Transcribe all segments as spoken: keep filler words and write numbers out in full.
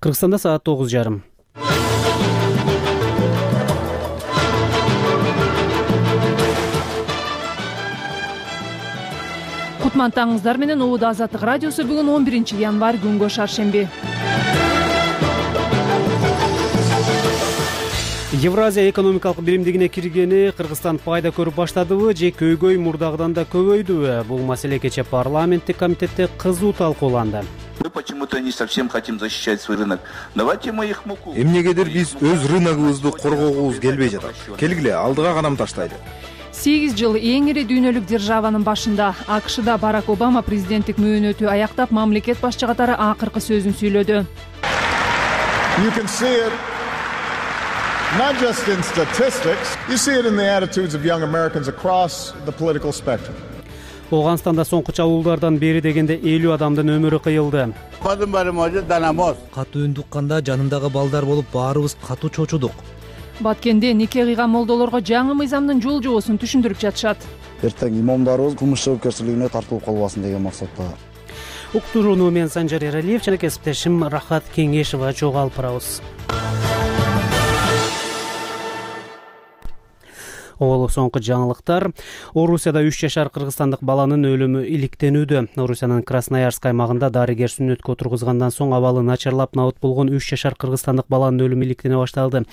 Кыргызстанда саат тогуз жарым. Кутмандтаңыздар менен Убуд Азаттык радиосу бүгүн он биринчи январь күнгө шаршемби. Евразия экономикалык биримдигине киргени Кыргызстан пайда көрүп баштадыбы же көйгөй мурдагыдан да көбөйдүбү? Бул маселе кече парламенттик комитетте кызуу талкууланды. Мы почему-то не совсем хотим защищать свой рынок. Давайте мы их муку. Эмнегедир биз өз рыногубузду коргогубуз келбей жатат. Келгиле, алдыга кадам таштайлы. сегиз жыл эң ири дүйнөлүк державанын башында АКШда Барак Обама президенттик мөөнөтү аяктап, мамлекет башчы катары акыркы сөзүн сүйлөдү. You can see it not just in statistics, you see it in the attitudes of young Americans across the political spectrum. Оганстанда соңку чабуулдардан бери дегенде элүү адамдын өмүрү кыйылды. Катуу үн тукканда жанымдагы балдар болуп баарыбыз катуу чочудук. Баткенде нике кыйган молдолорго жаңы мыйзамдын жол жобосун түшүндүрүп жатышат. Эртең имамдарыбыз кылмыш жоопкерчилигине тартылып калбасын деген максатта. Уктурууну мен Санжар Эралиев жана кесиптешим Рахат Кеңешова чогуу алып барабыз. Ол соңку жаңылыктар. Орусияда үч жашар кыргызстандык баланын өлүмү иликтенүүдө. Орусиянын Красноярск аймагында дарыгер сүннөткө отургузгандан соң абалы начарлап набыт болгон үч жашар кыргызстандык баланын өлүмү иликтене башталды.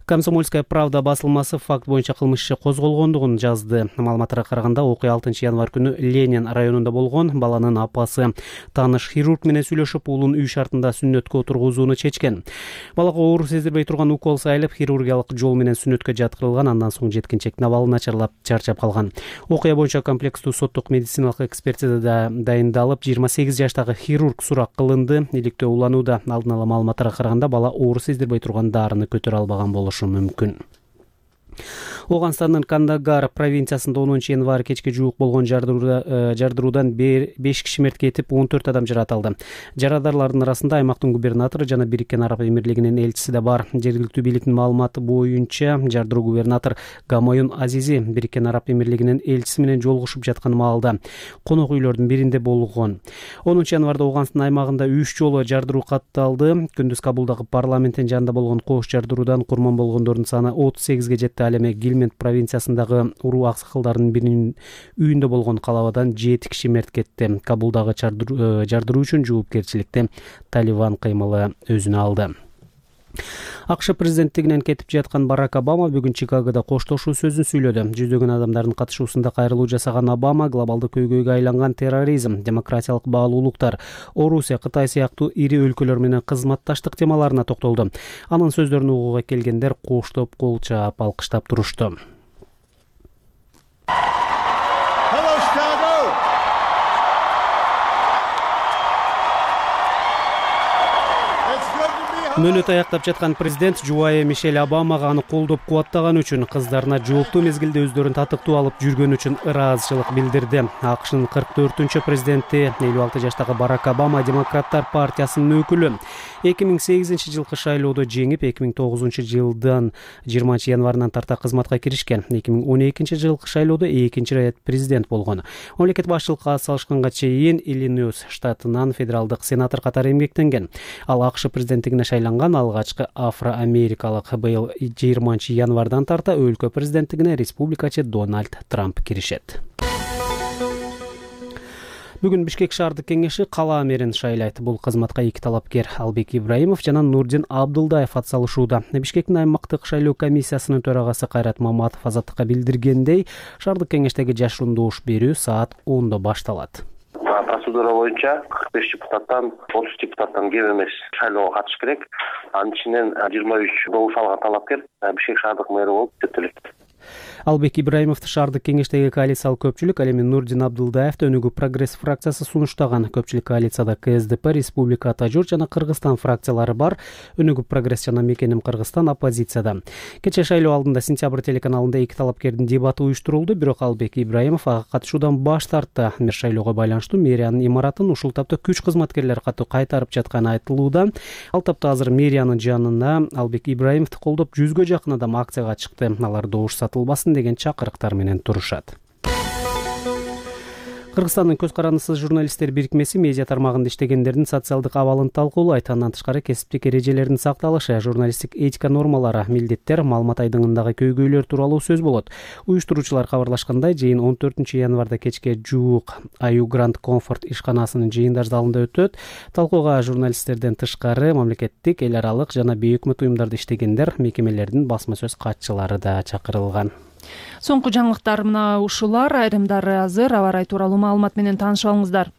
Комсомольская правда басылмасы факт боюнча кылмыш иши козголгондугун жазды. Маалыматтарга караганда окуя алтынчы январь күнү Ленин районунда болгон. Баланын апасы тааныш хирург менен сүйлөшүп, уулун үй шартында сүннөткө отургузууну чечкен. Балага оор сездирбей турган укол сайылып, хирургиялык жол менен сүннөткө жаткырылган. Андан соң жеткинчек абалы начарлап чарчап калган. Окуя боюнча комплекстүү соттук медициналык экспертизада дайындалып, жыйырма сегиз жаштагы хирург сурак кылынды. Иликтөө уланууда. Алдын ала маалыматтарга караганда бала оор сездирбей турган дарыны көтөрө албаган болушу мүмкүн. Оганстандын Кандагар провинциясында онунчу январь кечке жуук болгон жардыруудан беш киши мерт кетип, он төрт адам жаратылды. Жарадарлардын арасында аймактын губернатору жана Бириккен Араб Эмирлигинин элчиси да бар. Жергиликтүү бийликтин маалыматы боюнча, жардыруу губернатор Гамаюн Азизи Бириккен Араб Эмирлигинин элчиси менен жолугушуп жаткан маалда конок үйлөрдүн биринде болгон. онунчу январда Оганстан аймагында үч жолу жардыруу катталды. Күндүз Кабулдагы парламенттин жанында болгон кош жардыруудан курман болгондордун саны отуз сегизге жетти. Ал эми Гилмент провинциясындагы уруу аксакалдардын биринин үйүндө болгон калабадан жети киши мерт кетти. Кабулдагы жардыруу үчүн жоопкерчиликти Талибан кыймылы өзүнө алды. АКШ президенттигинен кетип жаткан Барак Обама бүгүн Чикагода коштошуу сөзүн сүйлөдү. Жүздөгөн адамдардын катышуусунда кайрылуу жасаган Обама глобалдык көйгөйгө айланган терроризм, демократиялык баалуулуктар, Орусия, Кытай сыяктуу ири өлкөлөр менен кызматташтык темаларына токтолду. Анын сөздөрүн угууга келгендер коштоп, кол чаап, алкыштап турушту. Мөөнөт аяктап жаткан президент жубайы Мишель Обамага аны колдоп кубаттаган үчүн, кыздарына жооптуу мезгилде өздөрүн татыктуу алып жүргөн үчүн ыраазычылык билдирди. АКШнын кырк төртүнчү президенти элүү алты жаштагы Барак Обама Демократтар партиясынын өкүлү. эки миң сегизинчи жылкы шайлоодо жеңип, эки миң тогузунчу жылдан жыйырманчы январынан тарта кызматка киришкен. эки миң он экинчи жылкы шайлоодо экинчи ирет президент болгон. Мамлекет башчылыкка ат салышканга чейин Иллинойс штатынан федералдык сенатор катары эмгектенген. Ал АКШ президенттигине шайланган алгачкы афро-америкалык. Быйыл жыйырманчы январдан тарта өлкө президенттигине республикачы Дональд Трамп киришет. Бүгүн Бишкек шаардык кеңеши кала мэрин шайлайт. Бул кызматка эки талапкер Албек Ибраимов жана Нурдин Абдылдаев атсалышууда. Бишкектин аймактык шайлоо комиссиясынын төрагасы Кайрат Маматов Азаттыкка билдиргендей, шаардык кеңештеги жашыруун добуш берүү саат ондо башталат. Процедура боюнча кырк беш депутаттан отуз депутаттан кем эмес шайлоого катыш керек. Анын ичинен жыйырма үч добуш алган талапкер Бишкек шаардык мэри болуп өтөлөт. Албек Ибраимовду шаардык кеңештеги коалициялык көпчүлүк, ал эми Нурдин Абдылдаевди Өнүгүү прогресс фракциясы сунуштаган. Көпчүлүк коалицияда КСДП, Республика Ата Журт жана Кыргызстан фракциялары бар. Өнүгүү прогресс жана Мекеним Кыргызстан оппозицияда. Кече шайлоо алдында Сентябрь телеканалында эки талапкердин дебаты уюштурулду, бирок Албек Ибраимов ага катышуудан баш тартты. Мэр шайлоого байланыштуу мэриянын имаратын ушул тапта күч кызматкерлери катуу кайтарып жатканы айтылууда. Ал тапта азыр мэриянын жанына Албек Ибраимовду колдоп жүзгө жакын адам акцияга чыкты. Алар добуш сатылбасын деген чакырыктар менен турушат. Кыргызстандын көз карандысыз журналисттер бирикмеси медиа тармагында иштегендердин социалдык абалын талкуулайт. Андан тышкары кесиптик эрежелердин сакталышы, журналисттик этика нормалары, милдеттер, маалымат айдыңындагы көйгөйлөр тууралуу сөз болот. Уюштуруучулар кабарлашкандай, жыйын он төртүнчү январда кечке жуук Аю Гранд Комфорт ишканасынын жыйындар залында өтөт. Талкууга журналисттерден тышкары мамлекеттик, эл аралык жана бейөкмөт уюмдарда иштегендер, мекемелердин басма сөз катчылары да чакырылган. Соңку жаңылыктар мына ушулар, айрымдары азыр. Аба ырайы тууралуу маалымат менен таанышып алыңыздар.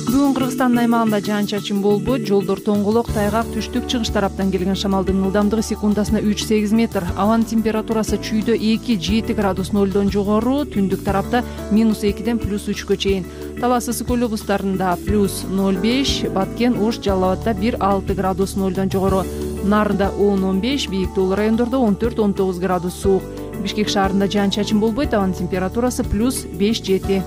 Бүгүн Кыргызстандын аймагында жаан-чачын болбойт, жолдор тоңголок, тайгак, түштүк, чыгыш тараптан келген шамалдын ылдамдыгы секундасына үч сегиз метр. Абанын температурасы чүйдө эки жети градус нолдон жогору, түндүк тарапта минус экиден плюс үчкө чейин. Талас ысык көл облустарында плюс ноль беш, Баткен, Ош, Жалал Абадда бир алты градус нолдон жогору, Нарында он он беш, бийик тоолуу райондордо он төрт он тогуз градус суук. Бишкек шаарында жаан-чачын болбойт, абанын температурасы плюс беш жети.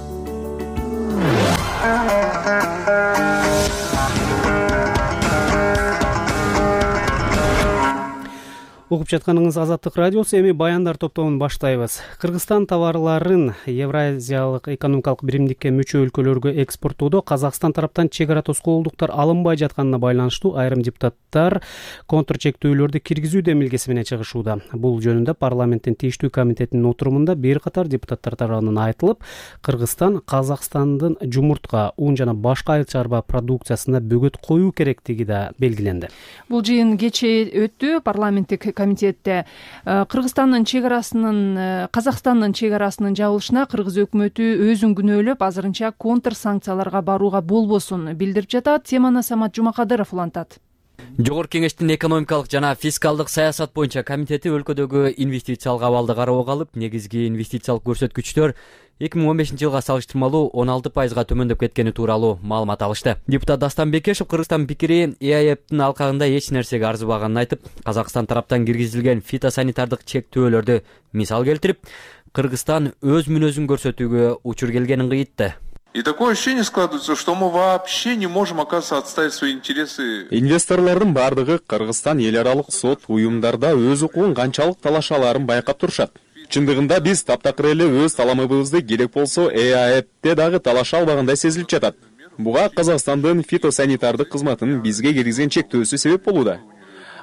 Угуп жатканыңыз Азаттык радиосу. Эми баяндар топтомун баштайбыз. Кыргызстан товарларын Евразиялык экономикалык биримдикке мүчө өлкөлөргө экспорттоодо Казакстан тараптан чек ара тоскоолдуктар алынбай жатканына байланыштуу айрым депутаттар контр чектөөлөрдү киргизүү демилгеси менен чыгышууда. Бул жөнүндө парламенттин тийиштүү комитетинин отурумунда бир катар депутаттар тарабынан айтылып, Кыргызстан Казакстандын жумуртка, ун жана башка айыл чарба продукциясына бөгөт коюу керектиги да белгиленди. Бул жыйын кечээ өттү. Парламенттик комитетте Кыргызстандын чек арасынын Казакстандын чек арасынын жабылышына кыргыз өкмөтү өзүн күнөөлөп, азырынча контр санкцияларга барууга болбосун билдирип жатат. Теманы Самат Жумакадыров улантат. Жогорку кеңештин экономикалык жана фискалдык саясат боюнча комитети өлкөдөгү инвестициялык абалды кароого алып, негизги инвестициялык көрсөткүчтөр эки миң он бешинчи жылга салыштырмалуу он алты пайызга төмөндөп кеткени тууралуу маалымат алышты. Депутат Дастан Бекешев Кыргызстан пикири Э А Э П'тин алкагында эч нерсеге арзыбаганын айтып, Казакстан тараптан киргизилген фитосанитардык чектөөлөрдү мисал келтирип, Кыргызстан өз мүнөзүн көрсөтүүгө учур келгенин кыйытты. И такое ощущение складывается, что мы вообще не можем, оказывается, отставить свои интересы. Инвесторлордун бардыгы Кыргызстан эл аралык сот уюмдарда өз укугун канчалык талашаларын байкап турушат. Чындыгында биз таптакыр эле өз таламыбызды керек болсо Э А Э П'те дагы талаша албагандай сезилип жатат. Буга Казакстандын фитосанитардык кызматынын бизге киргизген чектөөсү себеп болууда.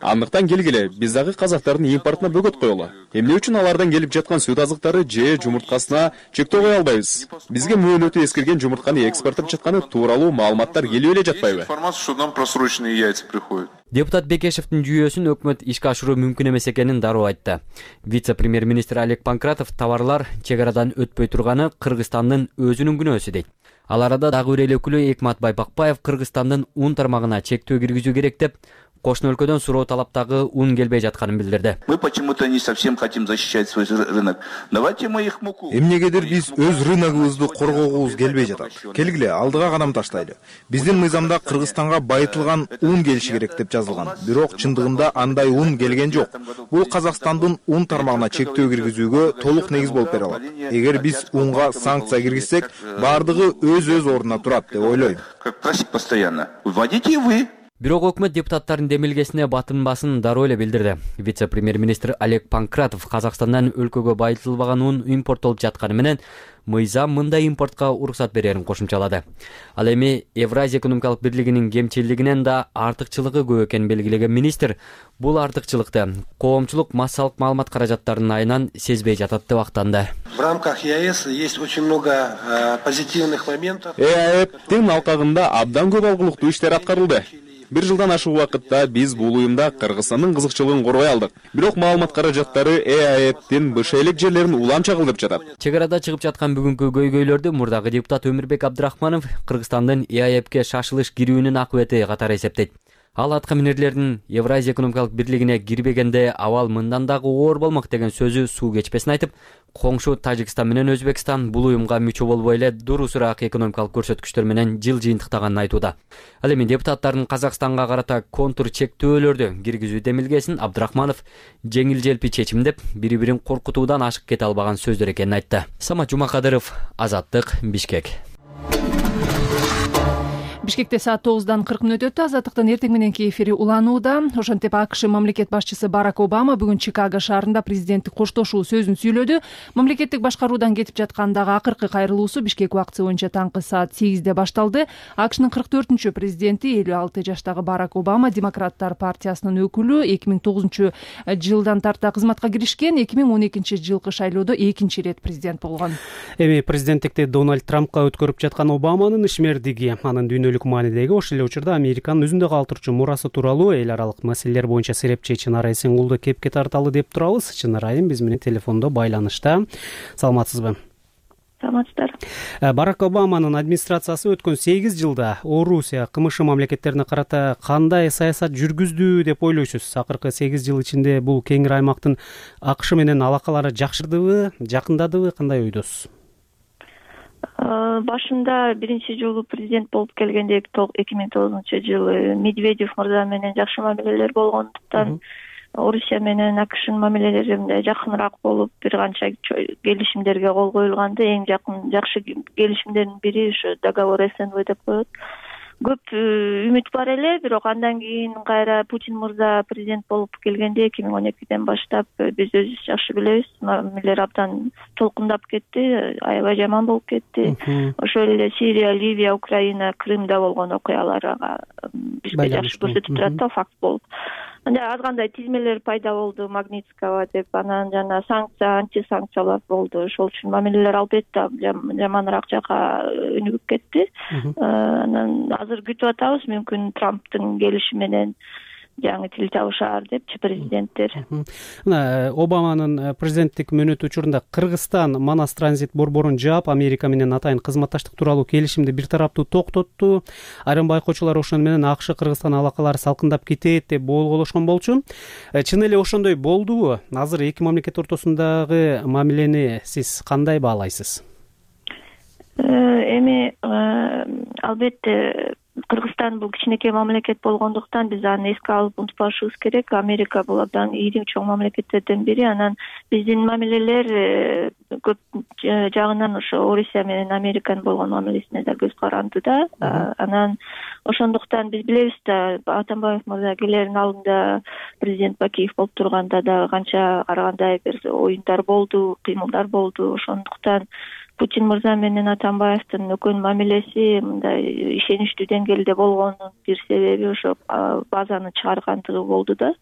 Андыктан келгиле, биз дагы казактардын импортуна бөгөт коелу. Эмне үчүн алардан келип жаткан сүт азыктары же жумурткасына чектөө кое албайбыз? Бизге мөөнөтү эскирген жумуртканы экспорттоп жатканы тууралуу маалыматтар келип эле жатпайбы? Информация, что нам просроченные яйца приходят. Депутат Бекешевдин жүйөсүн өкмөт ишке ашыруу мүмкүн эмес экенин дароо айтты. Вице-премьер-министр Олег Панкратов товарлар чек арадан өтпөй турганы Кыргызстандын өзүнүн күнөөсү дейт. Ал арада дагы бир эле өкүлү Экматбай Бакпаев Кыргызстандын ун тармагына чектөө киргизүү керек деп, кошуна өлкөдөн суроо талаптагы ун келбей жатканын билдирди. Мы почему-то не совсем хотим защищать свой рынок. Давайте мы их муку. Эмнегедир биз өз рыногубузду коргогубуз келбей жатат. Келгиле, алдыга кадам таштайлы. Биздин мыйзамда Кыргызстанга байытылган ун келиши керек деп жазылган. Бирок чындыгында андай ун келген жок. Бул Казакстандын ун тармагына чектөө киргизүүгө толук негиз болуп бере алат. Эгер биз унга санкция киргизсек, бардыгы өз-өз ордуна турат деп ойлойм. Как просить постоянно. Вводите вы. Бирок өкмөт депутаттардын демилгесине батынбасын дароо эле билдирди. Вице-премьер-министр Олег Панкратов Казакстандан өлкөгө байытылбаган ун импорттолуп жатканы менен мыйзам мындай импортко уруксат берерин кошумчалады. Ал эми Евразия экономикалык бирлигинин кемчилигинен да артыкчылыгы көп экенин белгилеген министр бул артыкчылыкты коомчулук массалык маалымат каражаттарынын айынан сезбей жатат деп актанды. В рамках Е А Эс есть очень много позитивных моментов. Э А Э П'тин алкагында абдан көп алгылыктуу иштер аткарылды. Бир жылдан ашык убакытта биз бул уюмда Кыргызстандын кызыкчылыгын коргой алдык. Бирок маалымат каражаттары Э А Э П'тин бышейлик жерлерин улам чагылдырып жатат. Чек арада чыгып жаткан бүгүнкү көйгөйлөрдү мурдагы депутат Өмүрбек Абдрахманов Кыргызстандын Э А Э П'ке шашылыш кирүүнүн акыбети катары эсептейт. Ал атка минерлердин Евразия экономикалык бирлигине кирбегенде абал мындан дагы оор болмок деген сөзү суу кечпесин айтып, коңшу Тажикстан менен Өзбекстан бул уюмга мүчө болбой эле дурусураак экономикалык көрсөткүчтөр менен жыл жыйынтыктаганын айтууда. Ал эми депутаттардын Казакстанга карата контр чектөөлөрдү киргизүү демилгесин Абдрахманов жеңил желпи чечим деп, бири-бирин коркутуудан ашык кете албаган сөздөр экенин айтты. Самат Жумакадыров, Азаттык, Бишкек. Бишкекте саат тогуздан кырк мүнөт өттү. Азаттыктын эртең мененки эфири уланууда. Ошентип АКШ мамлекет башчысы Барак Обама бүгүн Чикаго шаарында президенттик коштошуу сөзүн сүйлөдү. Мамлекеттик башкаруудан кетип жаткандагы акыркы кайрылуусу Бишкек убактысы боюнча таңкы саат сегизде башталды. АКШнын кырк төртүнчү президенти элүү алты жаштагы Барак Обама Демократтар партиясынын өкүлү эки миң тогузунчу жылдан тарта кызматка киришкен. эки миң он экинчи жылкы шайлоодо экинчи ирет президент болгон. Эми президенттикти Дональд Трампка өткөрүп жаткан Обаманын ишмердиги, анын дүйнөлүк маанидеги, ошол эле учурда Американын өзүндө калтырчу мурасы тууралуу эл аралык маселелер боюнча серепчи Чынара Эсенгулду кепке тарталы деп турабыз. Чынара айым биз менен телефондо байланышта. Саламатсызбы? Саламатсыздар. Барак Обаманын администрациясы өткөн сегиз жылда Орусия, КМШ мамлекеттерине карата кандай саясат жүргүздү деп ойлойсуз? Акыркы сегиз жыл ичинде бул кеңир аймактын АКШ менен алакалары жакшырдыбы, жакындадыбы, кандай ойдосуз? Башында биринчи жолу президент болуп келгенде эки миң тогузунчу жылы Медведев мырза менен жакшы мамилелер болгондуктан Орусия менен АКШнын мамилелери мындай жакыныраак болуп, бир канча келишимдерге кол коюлганды. Эң жакын жакшы келишимдердин бири ушу договор СНВ деп коет. Көп үмүт бар эле, бирок андан кийин кайра Путин мырза президент болуп келгенде эки миң он экиден баштап биз өзүбүз жакшы билебиз, мамилелер абдан толкундап кетти, аябай жаман болуп кетти. Ошол эле Сирия, Ливия, Украина, Крымда болгон окуяларга бизге жакшы көрсөтүп турат да, факт болуп. Анда аз кандай тизмелер пайда болду, Магнитского деп, анан жана санкция, антисанкциялар болду. Ошол үчүн мамилелер албетте жаманыраак жакка өнүгүп кетти. Анан азыр күтүп атабыз, мүмкүн Трамптын келиши менен жаңы тил табышаар депчи президенттер. Мына Обаманын президенттик мөөнөтү учурунда Кыргызстан Манас транзит борборун жаап, Америка менен атайын кызматташтык тууралуу келишимди бир тараптуу токтотту. Айрым байкоочулар ошону менен АКШ Кыргызстан алакалары салкындап кетет деп болголошкон болчу. Чын эле ошондой болдубу? Азыр эки мамлекет ортосундагы мамилени сиз кандай баалайсыз? Эми албетте Кыргызстан бул кичинекей мамлекет болгондуктан биз аны эске алып унутпашыбыз керек. Америка бул абдан ири чоң мамлекеттерден бири. Анан биздин мамилелер көп жагынан ошо Орусия менен Американын болгон мамилесине да көз каранды да. Анан ошондуктан биз билебиз да, Атамбаев мырза келерин алдында президент Бакиев болуп турганда да канча карагандай бир оюндар болду, кыймылдар болду. Ошондуктан Путин мырза менен Атамбаевдин өкөн мамилеси мындай ишеничтүү деңгээлде болгонунун бир себеби ошо базаны чыгаргандыгы болду да.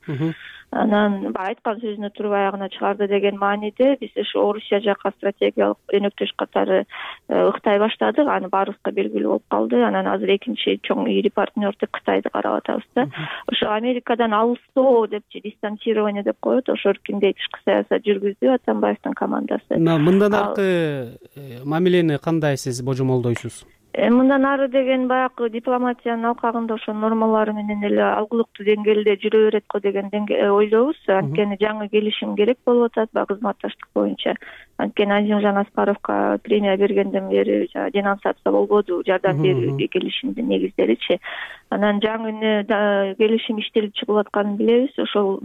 Анан айткан сөзүнө туруп аягына чыгарды деген мааниде биз ошо Орусия жакка стратегиялык өнөктөш катары ыктай баштадык. Аны баарыбызга белгилүү болуп калды. Анан азыр экинчи чоң ири партнер деп Кытайды карап атабыз да. Ошо Америкадан алыстоо депчи, дистанцирование деп коет. Ошо эркиндей тышкы саясат жүргүздү Атамбаевдин командасы. Мындан аркы мамилени кандай сиз божомолдойсуз? Мындан ары деген баягы дипломатиянын алкагында ошо нормалары менен эле алгылыктуу деңгээлде жүрө берет го деген ойлойбуз. Анткени жаңы келишим керек болуп атат баягы кызматташтык боюнча. Анткени Азимжан Аскаровго премия бергенден бери денонсация болбоду, жардам берүү келишимдин негиздеричи. Анан жаңы келишим иштелип чыгып атканын билебиз. Ошол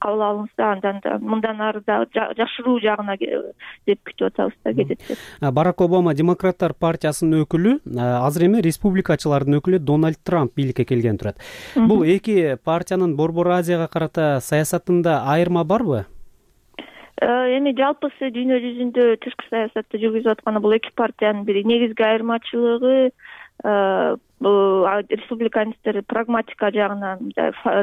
кабыл алынса, андан мындан ары да жакшыруу жагына деп күтүп атабыз да кетет. Барак Обама Демократтар партиясынын өкүлү, азыр эми республикачылардын өкүлү Дональд Трамп бийликке келген турат. Бул эки партиянын Борбор Азияга карата саясатында айырма барбы? Эми жалпысы дүйнө жүзүндө тышкы саясатты жүргүзүп атканы бул эки партиянын бири негизги айырмачылыгы бул республиканисттер прагматика жагынан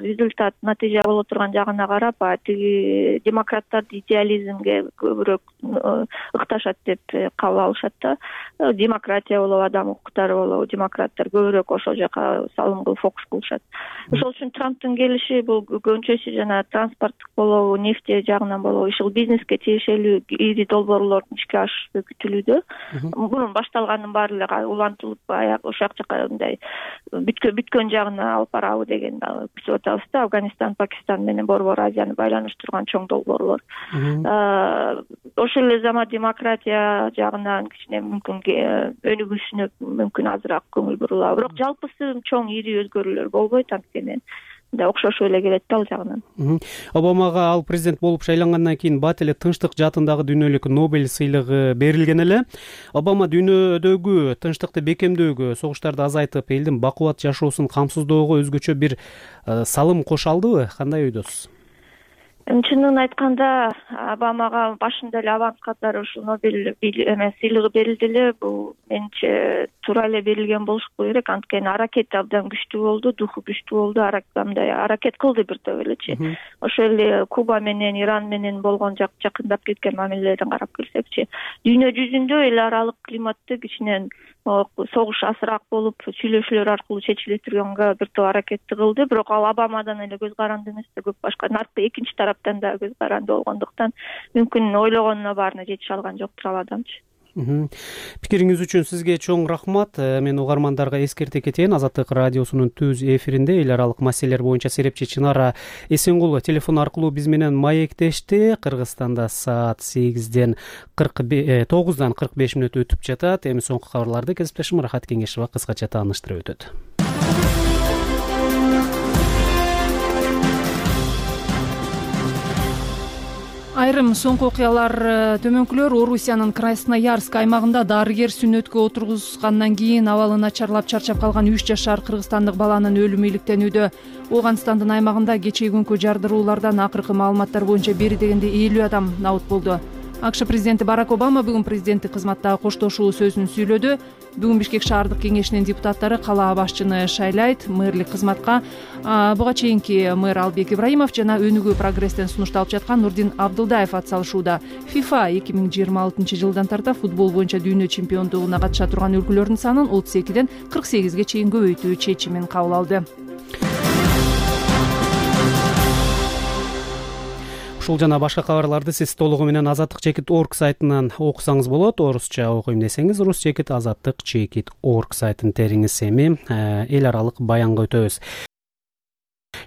результат, натыйжа боло турган жагына карап, тиги демократтарды идеализмге көбүрөөк ыкташат деп кабыл алышат да. Демократия болобу, адам укуктары болобу, демократтар көбүрөөк ошол жака салым кылып фокус кылышат. Ошол үчүн Трамптын келиши бул көбүнчөсү жана транспорттук болобу, нефть жагынан болобу, ишул бизнеске тиешелүү ири долбоорлордун ишке ашышы күтүлүүдө. Мурун башталганын баары эле улантылып, аяк ошол жака мындай бүткөн жагына алып барабы деген күтүп атабыз да. Афганистан, Пакистан менен Борбор Азияны байланыштырган чоң долбоорлор. Ошол эле замат демократия жагынан кичине мүмкүн өнүгүшүнө мүмкүн азыраак көңүл бурулабы. Бирок жалпысы чоң ири өзгөрүүлөр болбойт, анткени да окшошуп эле келет да ал жагынан. Обамага ал президент болуп шайлангандан кийин бат эле тынчтык жаатындагы дүйнөлүк Нобель сыйлыгы берилген эле. Обама дүйнөдөгү тынчтыкты бекемдөөгө, согуштарды азайтып, элдин бакубат жашоосун камсыздоого өзгөчө бир салым кошо алдыбы? Кандай ойдосуз? Чынын айтканда, Обамага башында эле аванс катары ушул Нобель эме сыйлыгы берилди эле. Бул менимче туура эле берилген болуш керек. Анткени аракети абдан күчтүү болду, духу күчтүү болду, мындай аракет кылды бир топ элечи. Ошол эле Куба менен, Иран менен болгон жакындап кеткен мамилелерден карап келсекчи, дүйнө жүзүндө эл аралык климатты кичинен согуш азыраак болуп, сүйлөшүүлөр аркылуу чечиле турганга бир топ аракетти кылды. Бирок ал Обамадан эле көз каранды эмес да, көп башка наркы экинчи тараптан да көз каранды болгондуктан мүмкүн ойлогонуна баарына жетише алган жоктур ал адамчы. Пикириңиз үчүн сизге чоң рахмат. Мен угармандарга эскерте кетейин. Азаттык радиосунун түз эфиринде эл аралык маселелер боюнча серепчи Чынара Эсенгул телефон аркылуу биз менен маектешти. Кыргызстанда саат сегизден тогуздан кырк беш мүнөт өтүп жатат. Эми соңку кабарларды кесиптешим Рахат Кеңешова кыскача тааныштырып өтөт. Айрым соңку окуялар төмөнкүлөр Орусиянын Красноярск аймагында дарыгер сүннөткө отургузгандан кийин абалы начарлап чарчап калган үч жашар кыргызстандык баланын өлүмү иликтенүүдө. Оганстандын аймагында кечээ күнкү жардыруулардан акыркы маалыматтар боюнча бери дегенде элүү адам набыт болду. АКШ президенти Барак Обама бүгүн президенттик кызматтагы коштошуу сөзүн сүйлөдү. Бүгүн Бишкек шаардык кеңешинин депутаттары калаа башчыны шайлайт, мэрлик кызматка буга чейинки мэр Албек Ибраимов жана өнүгүү прогресстен сунушталып жаткан Нурдин Абдылдаев атсалышууда. FIFA эки миң жыйырма алтынчы жылдан тарта футбол боюнча дүйнө чемпиондугуна катыша турган өлкөлөрдүн санын отуз экиден кырк сегизге чейин көбөйтүү чечимин кабыл алды. Ушул жана башка кабарларды сиз толугу менен азаттык чекит орг сайтынан окусаңыз болот. Орусча окуйм десеңиз рус чекит азаттык чекит орг сайтын териңиз. Эми эл аралык баянга өтөбүз.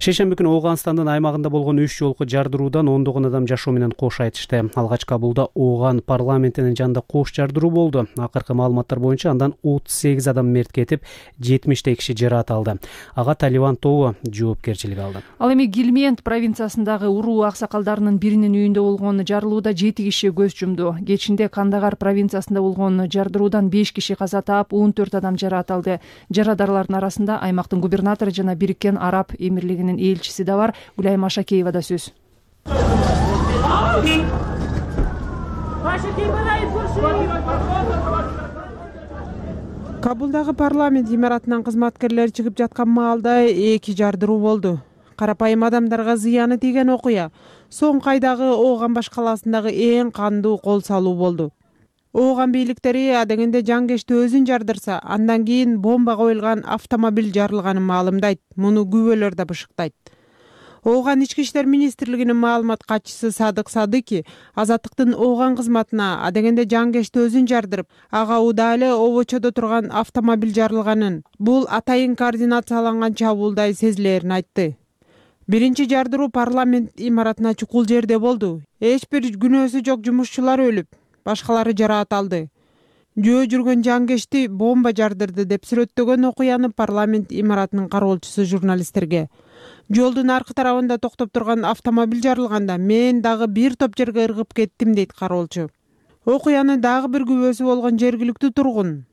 Шейшемби күнү Оганстандын аймагында болгон үч жолку жардыруудан ондогон адам жашоо менен кош айтышты. Алгач Кабулда Оган парламентинин жанында кош жардыруу болду. Акыркы маалыматтар боюнча андан отуз сегиз адам мерт кетип, жетимиштей киши жараат алды. Ага Талибан тобу жоопкерчилик алды. Ал эми Гилмент провинциясындагы уруу аксакалдарынын биринин үйүндө болгон жарылууда жети киши көз жумду. Кечинде Кандагар провинциясында болгон жардыруудан беш киши каза таап, он төрт адам жараат алды. Жарадарлардын арасында аймактын губернатору жана Бириккен Араб Эмирлигинин элчиси да бар. Гүлайым Ашакеевада сөз. Кабулдагы парламент имаратынан кызматкерлер чыгып жаткан маалда эки жардыруу болду. Карапайым адамдарга зыяны тийген окуя соңку айдагы Оган башкаласындагы эң кандуу кол салуу болду. Оган бийликтери адегенде жангечти өзүн жардырса, андан кийин бомба коюлган автомобиль жарылганын маалымдайт. Муну күбөлөр да бышыктайт. Оган ички иштер министрлигинин маалымат катчысы Садык Садыки азаттыктын Оган кызматына адегенде жангечти өзүн жардырып, ага удаа эле обочодо турган автомобиль жарылганын, бул атайын координацияланган чабуулдай сезилерин айтты. Биринчи жардыруу парламент имаратына чукул жерде болду. Эч бир күнөөсү жок жумушчулар өлүп, башкалары жараат алды. Жөө жүргөн жангечти бомба жардырды деп сүрөттөгөн окуяны парламент имаратынын кароолчусу журналисттерге. Жолдун аркы тарабында токтоп турган автомобиль жарылганда мен дагы бир топ жерге ыргып кеттим, дейт кароолчу. Окуяны дагы бир күбөсү болгон жергиликтүү тургун.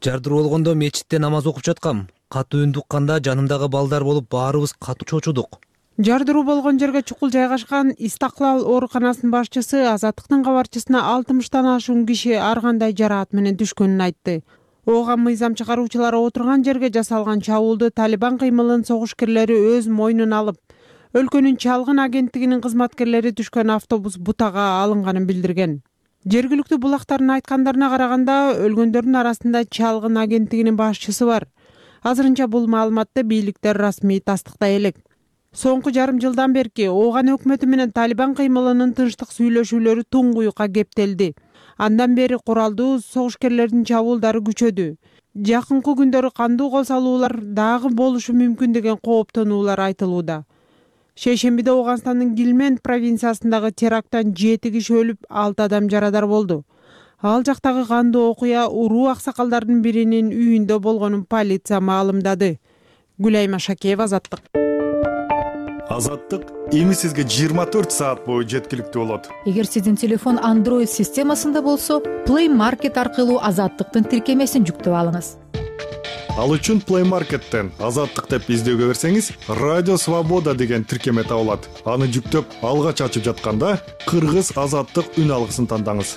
Жардыруу болгондо мечитте намаз окуп жаткам. Катуу үн укканда жанымдагы балдар болуп баарыбыз катуу чочудук. Жардыруу болгон жерге чукул жайгашкан Истаклал ооруканасынын башчысы азаттыктын кабарчысына алтымыштан ашуун киши ар кандай жараат менен түшкөнүн айтты. Оган мыйзам чыгаруучулары отурган жерге жасалган чабуулду Талибан кыймылынын согушкерлери өз мойнуна алып, өлкөнүн чалгын агенттигинин кызматкерлери түшкөн автобус бутага алынганын билдирген. Жергиликтүү булактардын айткандарына караганда, өлгөндөрдүн арасында чалгын агенттигинин башчысы бар. Азырынча бул маалыматты бийликтер расмий тастыктай элек. Соңку жарым жылдан берки Оган өкмөтү менен Талибан кыймылынын тынчтык сүйлөшүүлөрү туңгуюкка кептелди. Андан бери куралдуу согушкерлердин чабуулдары күчөдү. Жакынкы күндөрү кандуу кол салуулар дагы болушу мүмкүн деген кооптонуулар айтылууда. Шейшембиде Оганстандын Гилмент провинциясындагы теракттан жети киши өлүп, алты адам жарадар болду. Ал жактагы кандуу окуя уруу аксакалдардын биринин үйүндө болгонун полиция маалымдады. Гүлайма Шакеева, Азаттык. Азаттык эми сизге жыйырма төрт саат бою жеткиликтүү болот. Эгер сиздин телефон Android системасында болсо, Play Market аркылуу Азаттыктын тиркемесин жүктөп алыңыз. Ал үчүн Play Market'тен Азаттык деп издөөгө берсеңиз, Радио Свобода деген тиркеме табылат. Аны жүктөп, алгач ачып жатканда Кыргыз Азаттык үн алгысын тандаңыз.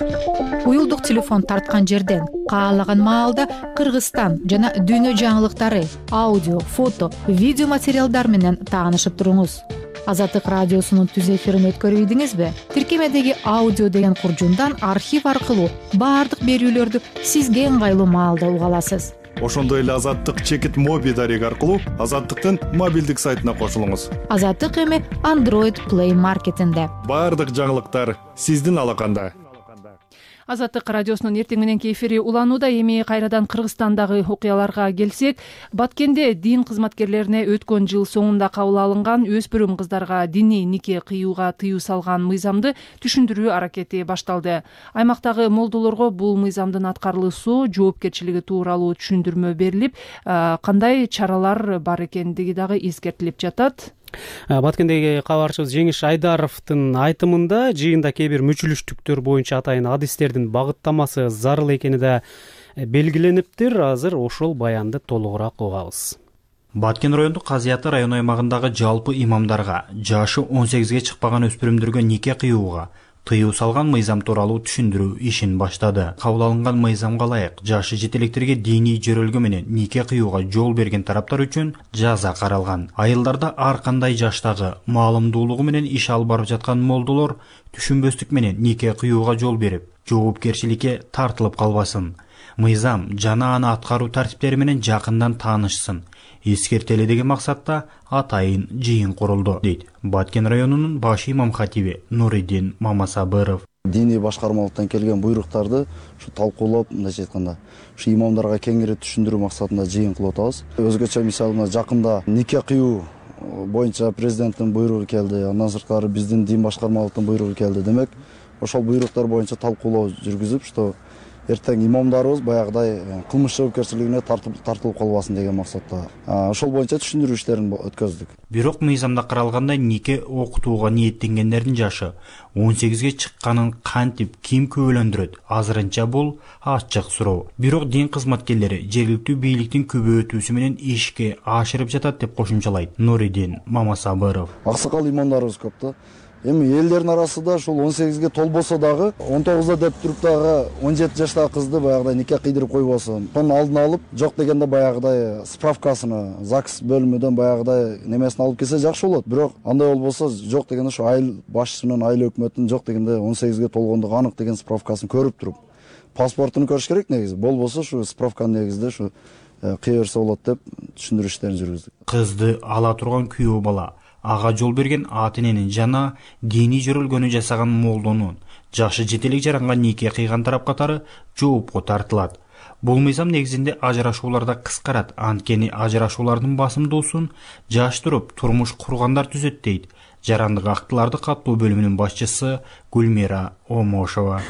Уюлдук телефон тарткан жерден каалаган маалда Кыргызстан жана дүйнө жаңылыктары, аудио, фото, видео материалдар менен таанышып туруңуз. Азаттык радиосунун түз эфирин өткөрүп ийдиңизби? Тиркемедеги аудио деген куржундан архив аркылуу баардык берүүлөрдү сизге ыңгайлуу маалда уга аласыз. Ошондой эле Азаттык чекит моби дареги аркылуу Азаттыктын мобилдик сайтына кошулуңуз. Азаттык эми Android Play Market'инде. Баардык жаңылыктар сиздин алаканда. Азаттык радиосунун эртең мененки эфири уланууда. Эми кайрадан Кыргызстандагы окуяларга келсек, Баткенде дин кызматкерлерине өткөн жыл соңунда кабыл алынган өспүрүм кыздарга диний нике кыюуга тыюу салган мыйзамды түшүндүрүү аракети башталды. Аймактагы молдолорго бул мыйзамдын аткарылуусу, жоопкерчилиги тууралуу түшүндүрмө берилип, кандай чаралар бар экендиги дагы эскертилип жатат. Баткендеги кабарчыбыз Жеңиш Айдаровдун айтымында жыйында кээ бир мүчүлүштүктөр боюнча атайын адистердин багыттамасы зарыл экени да белгилениптир. Азыр ошол баянды толугураак угабыз. Баткен райондук казыяты район аймагындагы жалпы имамдарга жашы он сегизге чыкпаган өспүрүмдөргө нике кыюуга тыюу салган мыйзам тууралуу түшүндүрүү ишин баштады. Кабыл алынган мыйзамга ылайык жашы жетелектерге диний жөрөлгө менен нике кыюуга жол берген тараптар үчүн жаза каралган. Айылдарда ар кандай жаштагы маалымдуулугу менен иш алып барып жаткан молдолор түшүнбөстүк менен нике кыюуга жол берип, жоопкерчиликке тартылып калбасын. Мыйзам жана аны аткаруу тартиптери менен жакындан таанышсын. Эскертели деген максатта атайын жыйын курулду, дейт Баткен районунун баш имам хатиби Нуридин Мамасабыров. Диний башкармалыктан келген буйруктарды ушу талкуулап, мындайча айтканда, ушу имамдарга кеңири түшүндүрүү максатында жыйын кылып атабыз. Өзгөчө мисалы мына жакында нике кыюу боюнча президенттин буйругу келди, андан сырткары биздин дин башкармалыктын буйругу келди. Демек, ошол буйруктар боюнча талкуулоо жүргүзүп, что эртең имамдарыбыз баягыдай кылмыш жоопкерчилигине тартылып тартылып калбасын деген максатта ошол боюнча түшүндүрүү иштерин өткөздүк. Бирок мыйзамда каралгандай нике окутууга ниеттенгендердин жашы он сегизге чыкканын кантип ким күбөлөндүрөт? Азырынча бул ачык суроо. Бирок дин кызматкерлери жергиликтүү бийликтин күбөйтүүсү менен ишке ашырып жатат деп кошумчалайт Нуридин Мамасабыров. Аксакал имамдарыбыз көп да. Эми элдердин арасында ушул он сегизге толбосо дагы он тогузда деп туруп дагы он жети жаштагы кызды баягыдай нике кыйдырып койбосун. Сонун алдын алып, жок дегенде баягыдай справкасына ЗАГС бөлүмүдөн баягыдай немесин алып келсе жакшы болот. Бирок андай болбосо жок дегенде ушу айыл башчысынын, айыл өкмөтүнүн жок дегенде он сегизге толгондугу анык деген справкасын көрүп туруп, паспортун көрүш керек негизи. Болбосо ушу справканын негизинде ушу кыя берсе болот деп түшүндүрүү иштерин жүргүздүк. Кызды ала турган күйөө бала ага жол берген ата-эненин жана диний жөрөлгөнү жасаган молдонун жашы жетелик жаранган нике кыйган тарап катары жоопко тартылат. Бул мыйзам негизинде ажырашууларда кыскарат, анткени ажырашуулардын басымдуусун жаш туруп турмуш кургандар түзөт, дейт жарандык актыларды каттоо бөлүмүнүн башчысы Гүлмира Омошова.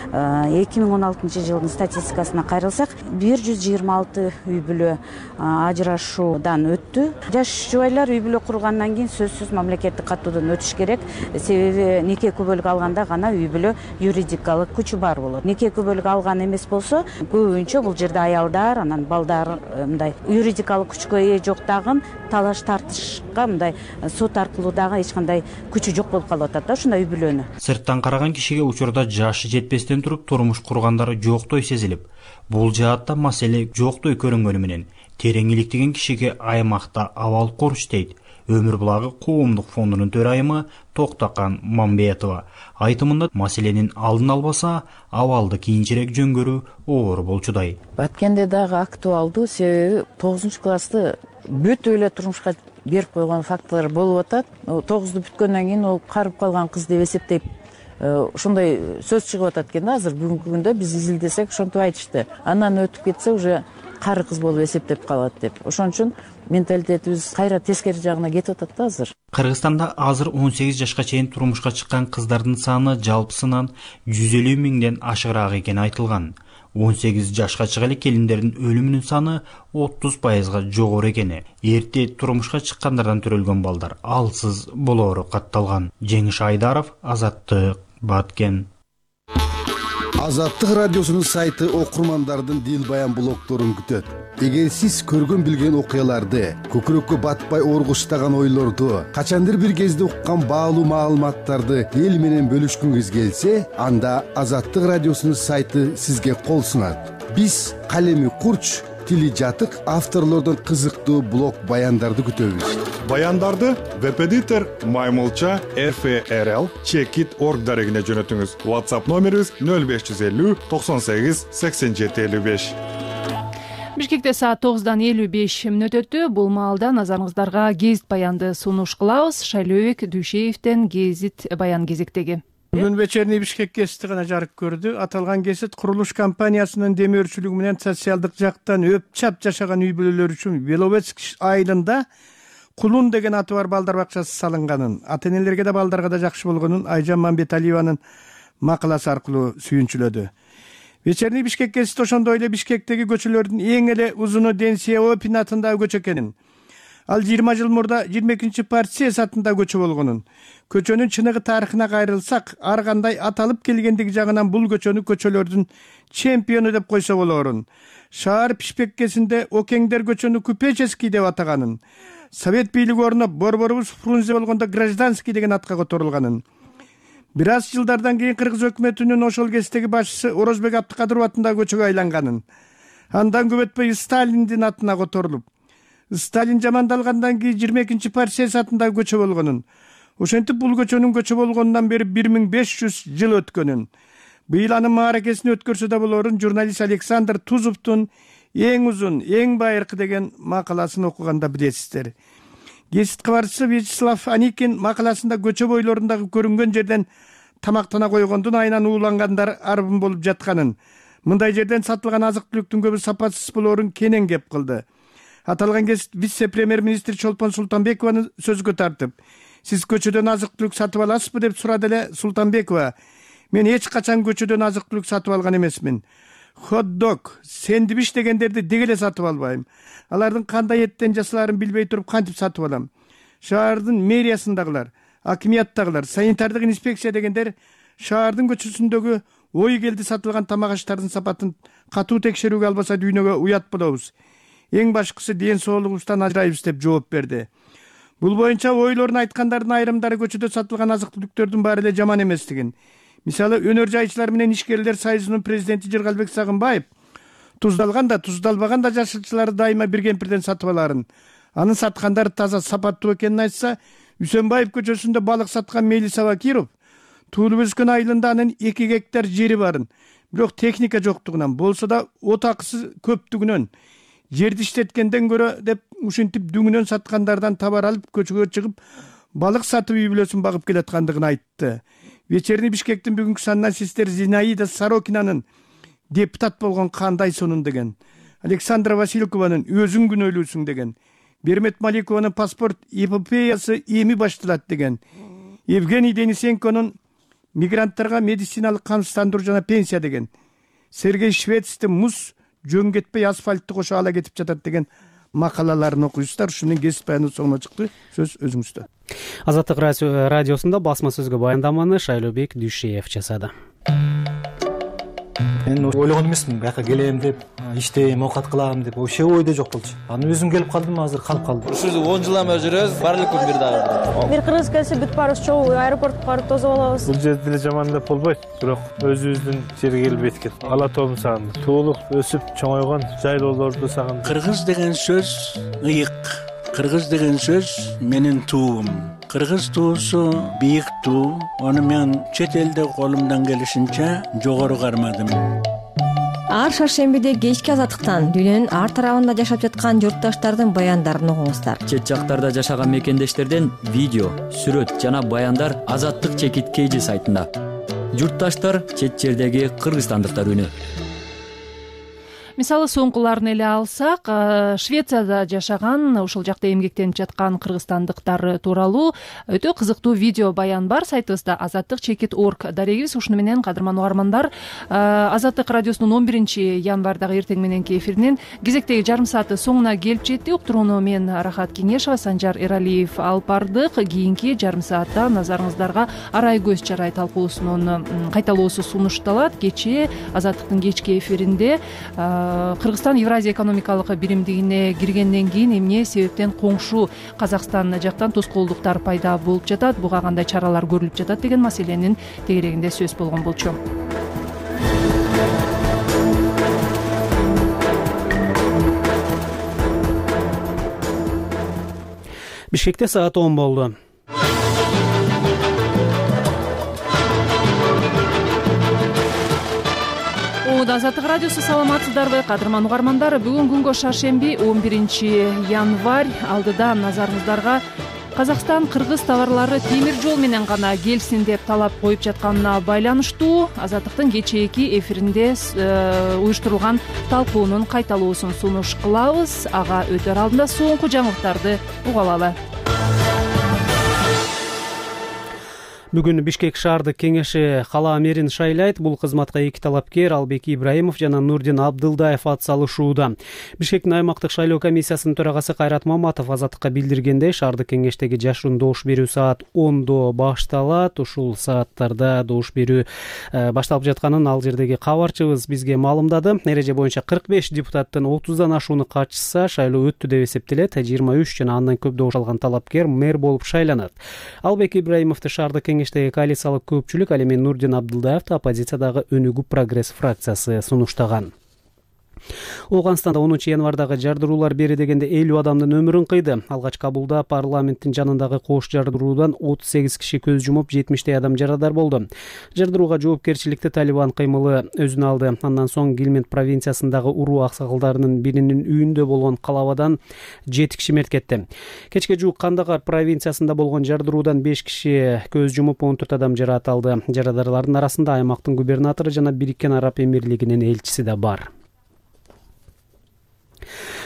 эки миң он алтынчы жылдын статистикасына кайрылсак, бир жүз жыйырма алты үй бүлө ажырашуудан өттү. Жаш жубайлар үй бүлө кургандан кийин сөзсүз мамлекеттик каттоодон өтүш керек. Себеби нике күбөлүк алганда гана үй бүлө юридикалык күчү бар болот. Нике күбөлүк алган эмес болсо, көбүнчө бул жерде аялдар, анан балдар мындай юридикалык күчкө ээ жок дагы талаш тартышка мындай сот аркылуу дагы эч кандай күчү жок болуп калып атат да ушундай үй бүлөнү. Сырттан караган кишиге учурда жашы жетпестен туруп турмуш кургандары жоктой сезилип, бул жаатта маселе жоктой көрүнгөнү менен терең иликтеген кишиге аймакта абал куруш, дейт Өмүр булагы коомдук фондунун төрайымы Токтакан Мамбетова. Айтымында маселенин алдын албаса, абалды кийинчерээк жөнгөрүү оор болчудай. Баткенде дагы актуалдуу, себеби тогузунчу классты бүт эле турмушка берип койгон фактылар болуп атат. тогузду бүткөндөн кийин ол карып калган кыз деп эсептейт. Ошондой сөз чыгып атат экен да, азыр бүгүнкү күндө биз изилдесек ошентип айтышты. Андан өтүп кетсе уже кары кыз болуп эсептеп калат деп. Ошон үчүн менталитетибиз кайра тескери жагына кетип атат да азыр. Кыргызстанда азыр он сегиз жашка чейин турмушка чыккан кыздардын саны жалпысынан жүз элүү миңден ашыгыраак экени айтылган. он сегиз жашка чыга эле келиндердин өлүмүнүн саны отуз пайызга жогору экени, эрте турмушка чыккандардан төрөлгөн балдар алсыз болоору катталган. Жеңиш Айдаров, Азаттык, Баткен. Азаттык радиосунун сайты окурмандардын дил баян блогдорун күтөт. Эгер сиз көргөн билген окуяларды, көкүрөккө батпай оргуштаган ойлорду, качандыр бир кезде уккан баалуу маалыматтарды эл менен бөлүшкүңүз келсе, анда Азаттык радиосунун сайты сизге кол сунат. Биз калеми курч, тили жатык авторлордон кызыктуу блог баяндарды күтөбүз. Баяндарды веб-эдитор Маймылча эф эр эл чекит точка орг дарегине жөнөтүңүз. WhatsApp номерибиз нөл беш жүз элүү токсон сегиз сексен жети элүү беш. Бишкекте саат тогуздан элүү беш мүнөт өттү. Бул маалда назарыңыздарга гезит баянды сунуш кылабыз. Шайлообек Дүйшеевден гезит баян кезектеги. Бүгүн вечерний Бишкек гезити гана жарык көрдү. Аталган гезит курулуш компаниясынын демөөрчүлүгү менен социалдык жактан өпчап жашаган үй бүлөлөр үчүн Беловецк айылында Кулун деген аты бар балдар бакчасы салынганын, ата-энелерге да балдарга да жакшы болгонун Айжан Мамбеталиеванын макаласы аркылуу сүйүнчүлөдү. Вечерний Бишкек гезити ошондой эле Бишкектеги көчөлөрдүн эң эле узуну Ден Сяопин атындагы көчө экенин, ал жыйырма жыл мурда жыйырма экинчи партия атындагы көчө болгонун, көчөнүн чыныгы тарыхына кайрылсак, ар кандай аталып келгендиги жагынан бул көчөнү көчөлөрдүн чемпиону деп койсо болоорун, шаар пишпеккесинде Океңдер көчөнү Купеческий деп атаганын, Совет бийлиги орнуп борборубуз Фрунзе болгондо Гражданский деген атка которулганын, бир аз жылдардан кийин кыргыз өкмөтүнүн ошол кездеги башчысы Орозбек Абдыкадыров атындагы көчөгө айланганын, андан көп өтпөй Сталиндин атына которулуп, Сталин жамандалгандан кийин жыйырма экинчи партия атындагы көчө болгонун, ошентип бул көчөнүн көчө болгонунан бери бир миң беш жүз жыл өткөнүн, быйыл анын мааракесин өткөрсө да болоорун журналист Александр Тузовдун эң узун, эң байыркы деген макаласын окуганда билесиздер. Гезит кабарчысы Вячеслав Аникин макаласында көчө бойлорундагы көрүнгөн жерден тамактана койгондун айынан уулангандар арбын болуп жатканын, мындай жерден сатылган азык-түлүктүн көбү сапатсыз болоорун кенен кеп кылды. Аталган гезит вице-премьер-министр Чолпон Султанбекованы сөзгө тартып, сиз көчөдөн азык-түлүк сатып аласызбы деп сурады эле Султанбекова. Мен эч качан көчөдөн азык-түлүк сатып алган эмесмин. Хот-дог, сэндвич дегендерди деги эле сатып албайм. Алардын кандай эттен жасалаарын билбей туруп кантип сатып алам? Шаардын мэриясындагылар, акимияттагылар, санитардык инспекция дегендер шаардын көчөсүндөгү ой келди сатылган тамак аштардын сапатын катуу текшерүүгө албаса дүйнөгө уят болобуз. Эң башкысы ден соолугубуздан ажырайбыз деп жооп берди. Бул боюнча ойлорун айткандардын айрымдары көчөдө сатылган азык-түлүктөрдүн баары эле жаман эместигин, мисалы өнөр жайчылар менен ишкерлер союзунун президенти Жыргалбек Сагынбаев туздалган да, туздалбаган да жашылчыларды дайыма бир кемпирден сатып аларын, анын саткандары таза сапаттуу экенин айтса, Үсөнбаев көчөсүндө балык саткан Мелис Абакиров туулуп өскөн айылында анын эки гектар жери барын, бирок техника жоктугунан, болсо да от акысы көптүгүнөн, жерди иштеткенден көрө деп ушинтип дүңүнөн саткандардан табар алып көчөгө чыгып балык сатып үй бүлөсүн багып келаткандыгын айтты. Вечерний Бишкектин бүгүнкү санынан сиздер Зинаида Сорокинанын депутат болгон кандай сонун деген, Александра Василькованын өзүң күнөөлүүсүң деген, Бермет Маликованын паспорт эпопеясы эми башталат деген, Евгений Денисенконун мигранттарга медициналык камсыздандыруу жана пенсия деген, Сергей Швецтин муз жөн кетпей асфальтты кошо ала кетип жатат деген макалаларын окуйсуздар. Ушунун гезит баяны соңуна чыкты. Сөз өзүңүздө. Азаттык радиосунда басма сөзгө баяндаманы Шайлообек Дүйшеев жасады. Мен ойлогон эмесмин, бияка келем деп, иштейм, оокат кылам деп, вообще ойдо жок болчу. Анан өзүм келип калдым, азыр калып калдым. Ушул он жылдан бери жүрөбүз, бар эле күн бир дагы. Бир кыргыз келсе бүт баарыбыз чогуу аэропортко барып тосуп алабыз. Бул жерде эле жаман деп болбойт, бирок өзүбүздүн жерге келип эткен. Ала тоом сагындым. Туулуп, өсүп, чоңойгон жайлоолорду сагындым. Кыргыз деген сөз ыйык. Кыргыз деген сөз менин туум. Кыргыз туусу бийик туу. Аны мен чет элде колумдан келишинче жогору кармадым. Ар шаршембиде кечки азаттыктан дүйнөнүн ар тарабында жашап жаткан журтташтардын баяндарын угуңуздар. Чет жактарда жашаган мекендештерден видео, сүрөт жана баяндар Азаттык чекит кейжи сайтында. Журтташтар чет жердеги кыргызстандыктар үнү. мисалы соңкуларын эле алсак, Швецияда жашаган, ошол жакта эмгектенип жаткан кыргызстандыктар тууралуу өтө кызыктуу видео баян бар сайтыбызда азаттык чекит орг. Дарегибиз ушуну менен кадырман угармандар, Азаттык радиосунун он биринчи январдагы эртең мененки эфиринин кезектеги жарым сааты соңуна келип жетти. Уктурууну мен Рахат Кеңешова, Санжар Эралиев алып бардык. Кийинки жарым саатта назарыңыздарга Арай көз чарай талкуусунун кайталоосу сунушталат. Кечээ Азаттыктын кечки эфиринде Кыргызстан Евразия экономикалык биримдигине киргенден кийин эмне себептен коңшу Казакстан жактан тоскоолдуктар пайда болуп жатат, буга кандай чаралар көрүлүп жатат деген маселенин тегерегинде сөз болгон болчу. Бишкекте саат он болду. Азаттык радиосу, саламатсыздарбы кадырман угармандар? Бүгүн күнгө шаршемби он биринчи январь. Алдыда назарыңыздарга Казакстан кыргыз товарлары темир жол менен гана келсин деп талап коюп жатканына байланыштуу Азаттыктын кечээки эфиринде уюштурулган талкуунун кайталоосун сунуш кылабыз. Ага өтөр алдында соңку жаңылыктарды угуп алалы. Бүгүн Бишкек шаардык кеңеши кала мэрин шайлайт. Бул кызматка эки талапкер Албек Ибраимов жана Нурдин Абдылдаев ат салышууда. Бишкектин аймактык шайлоо комиссиясынын төрагасы Кайрат Маматов Азаттыкка билдиргендей, шаардык кеңештеги жашыруун добуш берүү саат ондо башталат. Ушул сааттарда добуш берүү башталып жатканын ал жердеги кабарчыбыз бизге маалымдады. Эреже боюнча кырк беш депутаттын отуздан ашууну катышса, шайлоо өттү деп эсептелет. жыйырма үч жана андан көп добуш алган талапкер мэр болуп шайланат. Албек Ибраимовду шаардык кеңештеги коалициялык көпчүлүк, ал эми Нурдин Абдылдаевди оппозициядагы Өнүгүү прогресс фракциясы сунуштаган. Ооганстанда онунчу январдагы жардыруулар бери дегенде элүү адамдын өмүрүн кыйды. Алгач кабулда парламенттин жанындагы кош жардыруудан отуз сегиз киши көз жумуп, жетимиштей адам жарадар болду. Жардырууга жоопкерчиликти Талибан кыймылы өзүнө алды. Андан соң Гилмент провинциясындагы уруу аксакалдарынын биринин үйүндө болгон калабадан жети киши мерт кетти. Кечке жуук Кандагар провинциясында болгон жардыруудан беш киши көз жумуп, он төрт адам жараат алды. Жарадарлардын арасында аймактын губернатору жана Бириккен Араб Эмирлигинин элчиси да бар.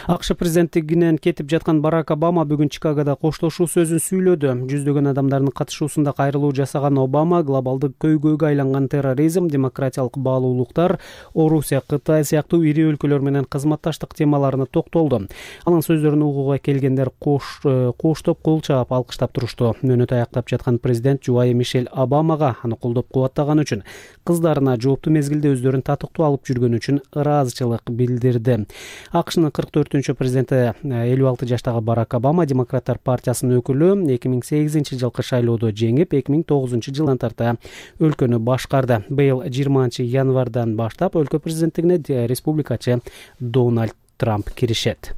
АКШ президенттигинен кетип жаткан Барак Обама бүгүн Чикагода коштошуу сөзүн сүйлөдү. Жүздөгөн адамдардын катышуусунда кайрылуу жасаган Обама глобалдык көйгөйгө айланган терроризм, демократиялык баалуулуктар, Орусия, Кытай сыяктуу ири өлкөлөр менен кызматташтык темаларына токтолду. Анын сөздөрүн угууга келгендер кош коштоп кол чаап алкыштап турушту. Мөөнөт аяктап жаткан президент жубайы Мишель Обамага аны колдоп кубаттаган үчүн, кыздарына жооптуу мезгилде өздөрүн татыктуу алып жүргөн үчүн ыраазычылык билдирди. АКШнын кырк төртүнчү президенти элүү алты жаштагы Барак Обама Демократтар партиясынын өкүлү, эки миң сегизинчи жылкы шайлоодо жеңип, эки миң тогузунчу жылдан тарта өлкөнү башкарды. Быйыл жыйырманчы январдан баштап өлкө президенттигине республикачы Дональд Трамп киришет.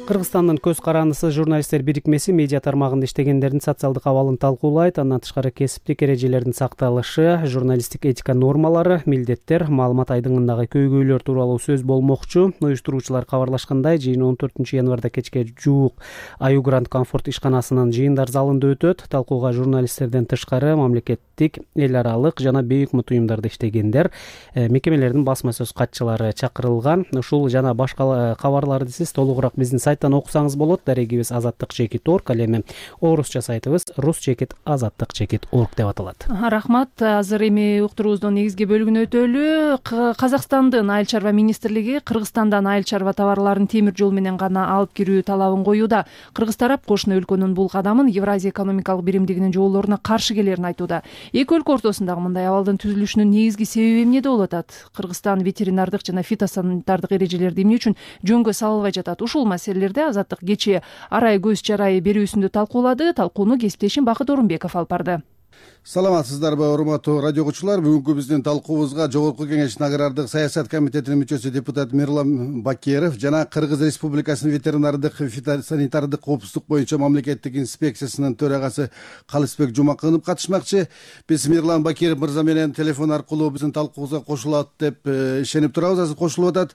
Кыргызстандын көз карандысы журналисттер бирикмеси медиа тармагында иштегендердин социалдык абалын талкуулайт. Андан тышкары кесиптик эрежелердин сакталышы, журналисттик этика нормалары, милдеттер, маалымат айдыңындагы көйгөйлөр тууралуу сөз болмокчу. Уюштуруучулар кабарлашкандай, жыйын он төртүнчү январда кечке жуук Аю Гранд Комфорт ишканасынын жыйындар залында өтөт. Талкууга журналисттерден тышкары мамлекеттик, эл аралык жана бейик мут уюмдарда иштегендер, мекемелердин басма сөз катчылары чакырылган. Ушул жана башка кабарларды сиз толугураак биздин сайттан окусаңыз болот. Дарегибиз азаттык чекит орг, ал эми орусча сайтыбыз рус чекит азаттык чекит орг деп аталат. Рахмат. Азыр эми уктуруубуздун негизги бөлүгүнө өтөлү. Казакстандын айыл чарба министрлиги Кыргызстандан айыл чарба товарларын темир жол менен гана алып кирүү талабын коюуда. Кыргыз тарап кошуна өлкөнүн бул кадамын Евразия экономикалык биримдигинин жоболоруна каршы келерин айтууда. Эки өлкө ортосундагы мындай абалдын түзүлүшүнүн негизги себеби эмнеде болуп атат? Кыргызстан ветеринардык жана фитосанитардык эрежелерди эмне үчүн жөнгө салынбай жатат? Ушул маселелерди Азаттык кечээ Арай көз чарай берүүсүндө талкуулады. Талкууну кесиптешим Бакыт Орунбеков алып барды. Саламатсыздарбы, урматтуу радио окуучулар. Бүгүнкү биздин талкуубузга Жогорку Кеңештин агрардык саясат комитетинин мүчөсү депутат Мирлан Бакеров жана Кыргыз Республикасынын ветеринардык фитосанитардык коопсуздук боюнча мамлекеттик инспекциясынын төрагасы Калысбек Жумакынов катышмакчы. Биз Мирлан Бакеров мырза менен телефон аркылуу биздин талкуубузга кошулат деп ишенип турабыз. Азыр кошулуп атат.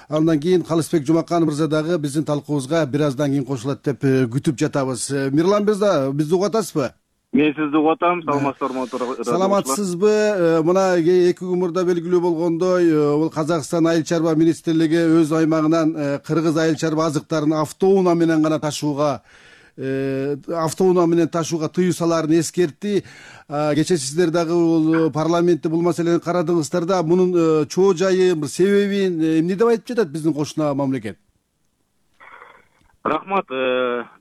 Андан кийин Калысбек Жумаканов мырза дагы биздин талкуубузга бир аздан кийин кошулат деп күтүп жатабыз. Мирлан мырза, бизди угуп атасызбы? мен сизди угуп атам. Саламатсыздарбы? Саламатсызбы? Мына эки күн мурда белгилүү болгондой, бул Казакстан Айыл чарба министрлиги өз аймагынан кыргыз айыл чарба азыктарын автоунаа менен гана ташууга автоунаа менен ташууга тыюу салаарын эскертти. Кечээ сиздер дагы бул парламентте бул маселени карадыңыздар да. Мунун чоо жайын, себебин эмне деп айтып жатат биздин кошуна мамлекет? Рахмат.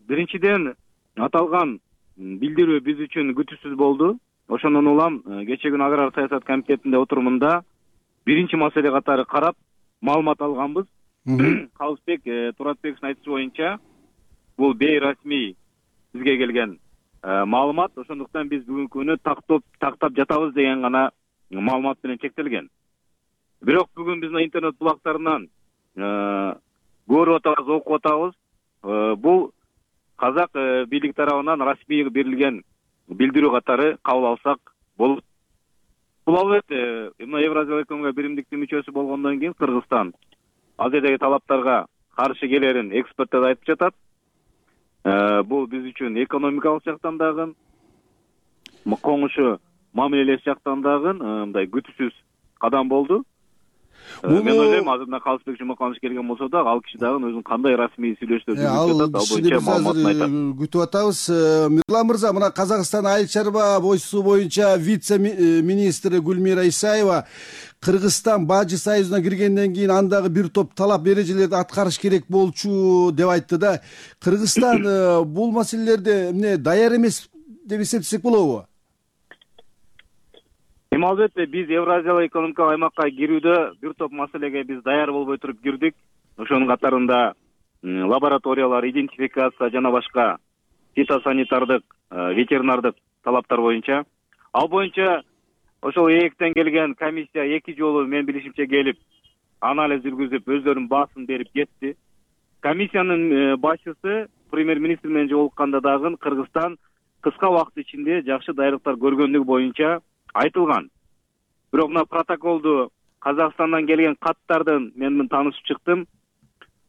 Биринчиден аталган билдирүү биз үчүн күтүүсүз болду. Ошондон улам кечээ күнү аграр саясат комитетинде отурумунда биринчи маселе катары карап маалымат алганбыз. Калысбек Туратбековдун айтышы боюнча бул бейрасмий бизге келген маалымат. Ошондуктан биз бүгүнкү күнү тактап тактап жатабыз деген гана маалымат менен чектелген. Бирок бүгүн биздин интернет булактарынан көрүп атабыз, окуп атабыз. Бул казак бийлик тарабынан расмий берилген билдирүү катары кабыл алсак болот. Бул албетте мына Евразиялык экономикалык биримдиктин мүчөсү болгондон кийин Кыргызстан ал жердеги талаптарга каршы келерин эксперттер айтып жатат. Бул биз үчүн экономикалык жактан дагы, коңушу мамилелеш жактан дагы мындай күтүүсүз кадам болду. Мен ойлойм, азыр мына Калысбек Жумаканович келген болсо да, ал киши дагы өзүнүн кандай расмий сүйлөшүүлөр жүргүзүп жатат, ал боюнча маалыматын айтат. Күтүп атабыз. Мирлан мырза, мына Казакстан айыл чарба бойсу боюнча вице-министри Гүлмира Исаева Кыргызстан Бажы союзуна киргенден кийин андагы бир топ талап эрежелерди аткарыш керек болчу деп айтты да. Кыргызстан бул маселелерде эмне даяр эмес деп эсептесек болобу? Эми албетте биз Евразиялык экономикалык аймакка кирүүдө бир топ маселеге биз даяр болбой туруп кирдик. Ошонун катарында лабораториялар, идентификация жана башка фитосанитардык, ветеринардык талаптар боюнча. Ал боюнча ошол ээктен келген комиссия эки жолу мен билишимче келип, анализ жүргүзүп, өздөрүнүн баасын берип кетти. Комиссиянын башчысы премьер-министр менен жолукканда дагы Кыргызстан кыска убакыт ичинде жакшы даярдыктар көргөндүгү боюнча айтылган. Бирок мына протоколду Казакстандан келген каттардын мен таанышып чыктым.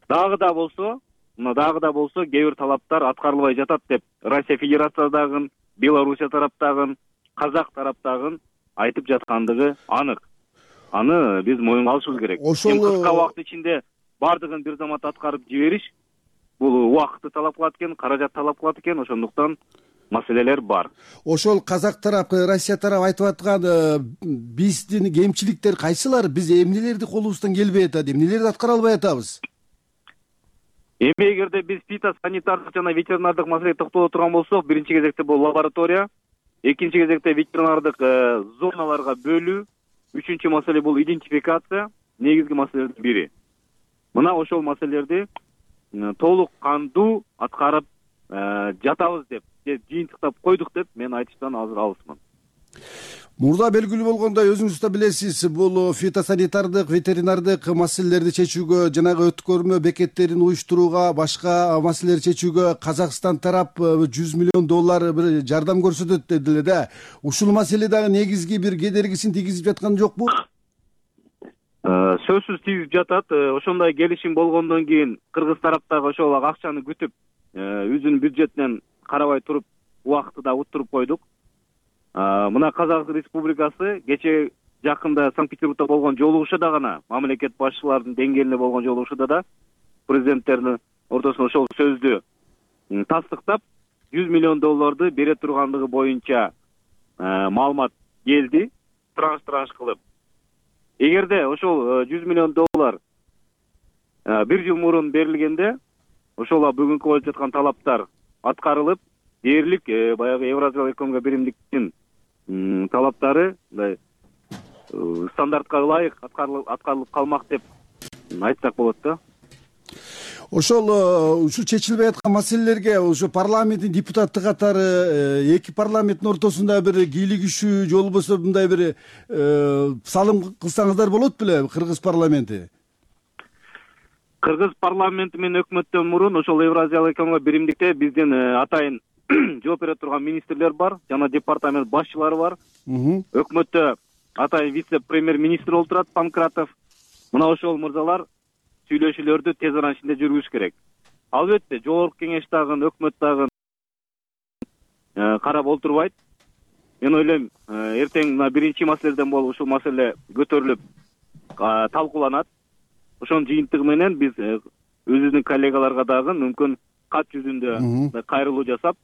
Дагы да болсо, мына дагы да болсо кээ бир талаптар аткарылбай жатат деп Россия Федерациясындагы, Белоруссия тараптагы, Казак тараптагы айтып жаткандыгы анык. Аны биз моюнга алышыбыз керек. Ошол кыска убакыт ичинде бардыгын бир замат аткарып жибериш бул убакытты талап кылат экен, каражат талап кылат экен, ошондуктан маселелер бар. Ошол казак тарап, Россия тарап айтып аткан биздин кемчиликтер кайсылар? Биз эмнелерди колубуздан келбей атат, эмнелерди аткара албай атабыз? Эми эгерде биз фитосанитардык жана ветеринардык маселеге токтоло турган болсок, биринчи кезекте бул лаборатория, экинчи кезекте ветеринардык зоналарга бөлүү, үчүнчү маселе бул идентификация, негизги маселелердин бири. Мына ошол маселелерди толук кандуу аткарып жатабыз деп, жыйынтыктап койдук деп мен айтыштан азыр алысмын. Мурда белгилүү болгондой, өзүңүз да билесиз, бул фитосанитардык, ветеринардык маселелерди чечүүгө, жанагы өткөрмө бекеттерин уюштурууга, башка маселелерди чечүүгө Казакстан тарап жүз миллион доллар бир жардам көрсөтөт дедиле да. Ушул маселе дагы негизги бир кедергисин тийгизип жаткан жокпу? Сөзсүз тийгизип жатат. Ошондой келишим болгондон кийин Кыргыз тараптагы ошол акчаны күтүп, өзүнүн бюджетинен карабай туруп, убакытты да уттуруп койдук. Мына Казак Республикасы кечээ жакында Санкт-Петербургда болгон жолугушууда гана, мамлекет башчыларынын деңгээлинде болгон жолугушууда да президенттердин ортосунда ошол сөздү тастыктап, жүз миллион долларды бере тургандыгы боюнча маалымат келди, транш-транш кылып. Эгерде ошол жүз миллион доллар бир жыл мурун берилгенде, ошол бүгүнкү коюлуп жаткан талаптар аткарылып, дээрлик баягы Евразиялык экономикалык биримдиктин талаптары мындай стандартка ылайык аткарылып калмак деп айтсак болот да. Ошол ушул чечилбей аткан маселелерге ошо парламенттин депутаты катары эки парламенттин ортосунда бир кийлигишүү же болбосо мындай бир салым кылсаңыздар болот беле Кыргыз парламенти? Кыргыз парламенти менен өкмөттөн мурун ошол Евразиялык экономикалык биримдикте биздин атайын жооп бере турган министрлер бар, жана департамент башчылары бар. Өкмөттө атайын вице-премьер-министр отурат, Панкратов. Мына ошол мырзалар сүйлөшүүлөрдү тез арада ичинде жүргүзүш керек. Албетте, жогорку кеңеш дагы, өкмөт дагы карап олтурбайт. Мен ойлойм, эртең мына биринчи маселеден болуп ушул маселе көтөрүлүп талкууланат. Ошонун жыйынтыгы менен биз өзүбүздүн коллегаларга дагы мүмкүн кат жүзүндө кайрылуу жасап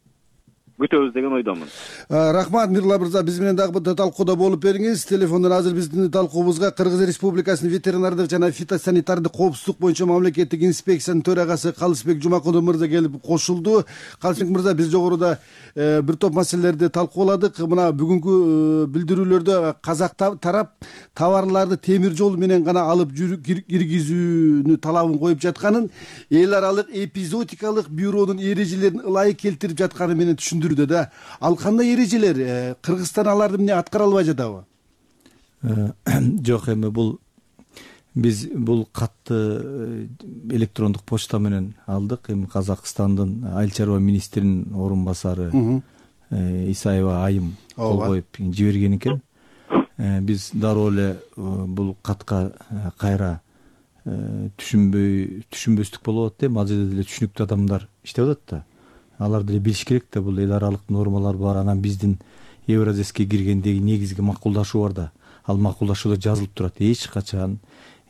күтөбүз деген ойдомун. Рахмат Мирла мырза, биз менен дагы талкууда болуп бериңиз. Телефондон азыр биздин талкуубузга Кыргыз Республикасынын ветеринардык жана фитосанитардык коопсуздук боюнча мамлекеттик инспекциянын төрагасы Калысбек Жумакулов мырза келип кошулду. Калысбек мырза, биз жогоруда бир топ маселелерди талкууладык. Мына бүгүнкү билдирүүлөрдө казак тарап товарларды темир жол менен гана алып киргизүүнү талабын коюп жатканын, эл аралык эпизодикалык бюронун эрежелерин ылайык келтирип жатканы менен түшүндүрдү да. Ал кандай эрежелер? Кыргызстан аларды эмне аткара албай жатабы? Жок, эми бул биз бул катты электрондук почта менен алдык. Эми Казакстандын айыл чарба министринин орун басары Исаева айым кол коюп жиберген экен. Биз дароо эле бул катка кайра түшүнбөй түшүнбөстүк болуп атат. Ал жерде деле түшүнүктүү адамдар иштеп атат да. Алар деле билиш керек да, бул эл аралык нормалар бар. Анан биздин Евразеске киргендеги негизги макулдашуу бар да. Ал макулдашууда жазылып турат. Эч качан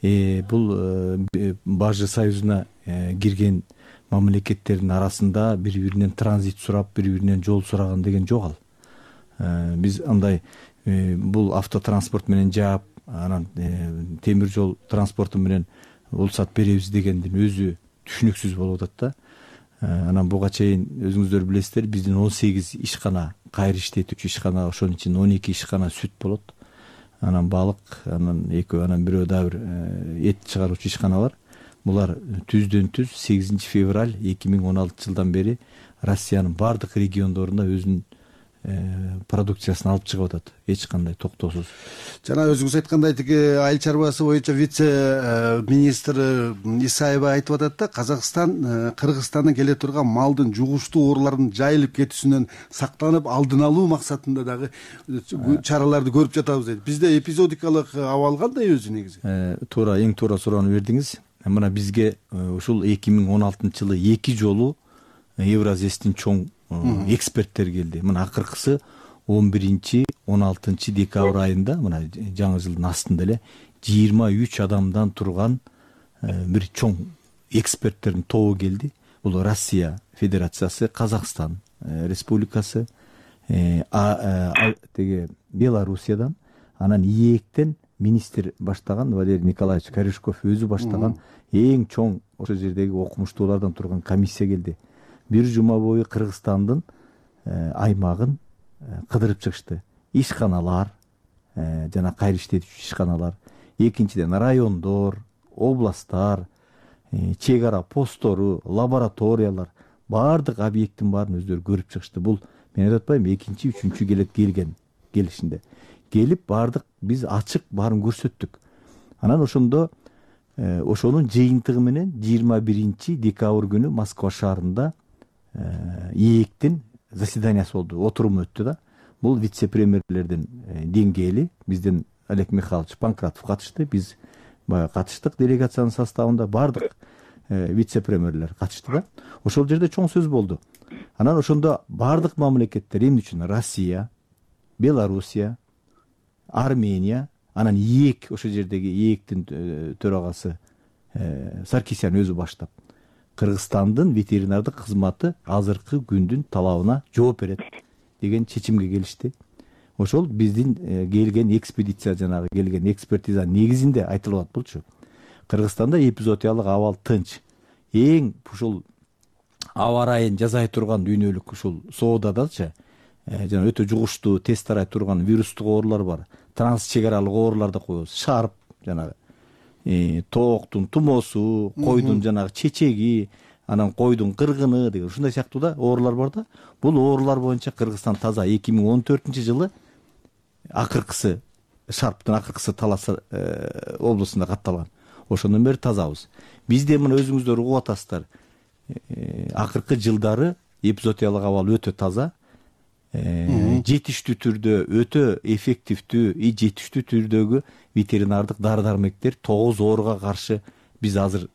бул Бажы союзуна кирген мамлекеттердин арасында бири-биринен транзит сурап, бири-биринен жол сураган деген жок ал. Биз андай бул автотранспорт менен жаап, анан темир жол транспорту менен улсат беребиз дегендин өзү түшүнүксүз болуп атат да. Анан буга чейин өзүңүздөр билесиздер, биздин он сегиз ишкана кайры иштетүүчү ишкана, ошонун ичинде он эки ишкана сүт болот. Анан балык, анан экөө, анан бирөө дагы бир эт чыгаруучу ишкана бар. Булар түздөн түз сегизинчи февраль эки миң он алтынчы жылдан бери Россиянын бардык региондорунда өзүнүн продукциясын алып чыгып атат, эч кандай токтоосуз. Жана өзүңүз айткандай, тиги айыл чарбасы боюнча вице министр Исаева айтып атат да, Казакстан Кыргызстандан келе турган малдын жугуштуу оорулардын жайылып кетүүсүнөн сактанып, алдын алуу максатында дагы чараларды көрүп жатабыз дейт. Бизде эпизодикалык абал кандай өзү негизи? Туура, эң туура суроону бердиңиз. Мына бизге ушул эки миң он алтынчы жылы эки жолу Евразестин чоң эксперттер келди. Мына акыркысы он биринчи он алтынчы декабрь айында, мына жаңы жылдын астында эле жыйырма үч адамдан турган бир чоң эксперттердин тобу келди. Бул Россия Федерациясы, Казакстан Республикасы, теге Белоруссиядан, анан ИЭКтен министр баштаган Валерий Николаевич Корешков өзү баштаган эң чоң ошол жердеги окумуштуулардан турган комиссия келди. Бир жума бою Кыргызстандын аймагын кыдырып чыгышты. Ишканалар, жана кайры иштетүүчү ишканалар, экинчиден райондор, областтар, чек ара посттору, лабораториялар, баардык объекттин баарын өздөрү көрүп чыгышты. Бул мен айтып атпаймынбы, экинчи, үчүнчү келет келген келишинде. Келип баардык биз ачык баарын көрсөттүк. Анан ошондо ошонун жыйынтыгы менен жыйырма биринчи декабрь күнү Москва шаарында ИЭКтин заседаниясы болду, отуруму өттү да. Бул вице-премьерлердин деңгээли, бизден Олег Михайлович Панкратов катышты, биз баягы катыштык делегациянын составында, бардык вице-премьерлер катышты да. Ошол жерде чоң сөз болду. Анан ошондо бардык мамлекеттер, эмне үчүн Россия, Белоруссия, Армения, анан ИЭК, ошол жердеги ИЭКтин төрагасы Саркисян өзү баштап, Кыргызстандын ветеринардык кызматы азыркы күндүн талабына жооп берет деген чечимге келишти. Ошол биздин келген экспедиция, жанагы келген экспертиза негизинде айтылып атат болчу. Кыргызстанда эпизоотиялык абал тынч. Эң ушул аба ырайын жасай турган дүйнөлүк ушул соодадачы, жана өтө жугуштуу тез тарай турган вирустук оорулар бар. Транс чек аралык оорулар да коебуз. Шарп, жанагы тооктун тумоосу, койдун жанагы чечеги, анан койдун кыргыны деген ушундай сыяктуу да оорулар бар да. Бул оорулар боюнча Кыргызстан таза. эки миң он төртүнчү жылы акыркысы, Шарптын акыркысы Талас облусунда катталган. Ошондон бери тазабыз. Бизде мына өзүңүздөр угуп атасыздар. Акыркы жылдары эпизоотиялык абал өтө таза. Жетиштүү түрдө, өтө эффективдүү и жетиштүү түрдөгү ветеринардык дары-дармектер тогуз ооруга каршы биз азыр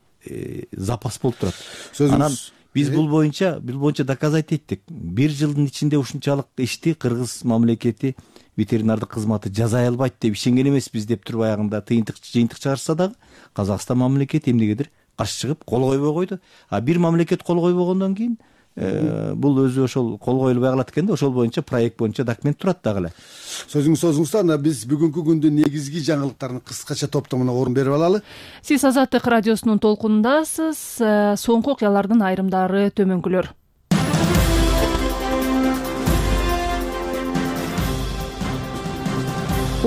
запас болуп турат. Анан биз бул боюнча бул боюнча доказать эттик. Бир жылдын ичинде ушунчалык ишти кыргыз мамлекети ветеринардык кызматы жасай албайт деп ишенген эмеспиз деп туруп аягында тыйынтык жыйынтык чыгарса дагы Казакстан мамлекети эмнегедир каршы чыгып кол койбой койду. А бир мамлекет кол койбогондон кийин бул өзү ошол кол коюлбай калат экен да, ошол боюнча проект боюнча документ турат дагы эле. Сөзүңүз созуңуздар, биз бүгүнкү күндүн негизги жаңылыктарын кыскача топтомуна орун берип алалы. Сиз Азаттык радиосунун толкунундасыз. Соңку окуялардын айрымдары төмөнкүлөр.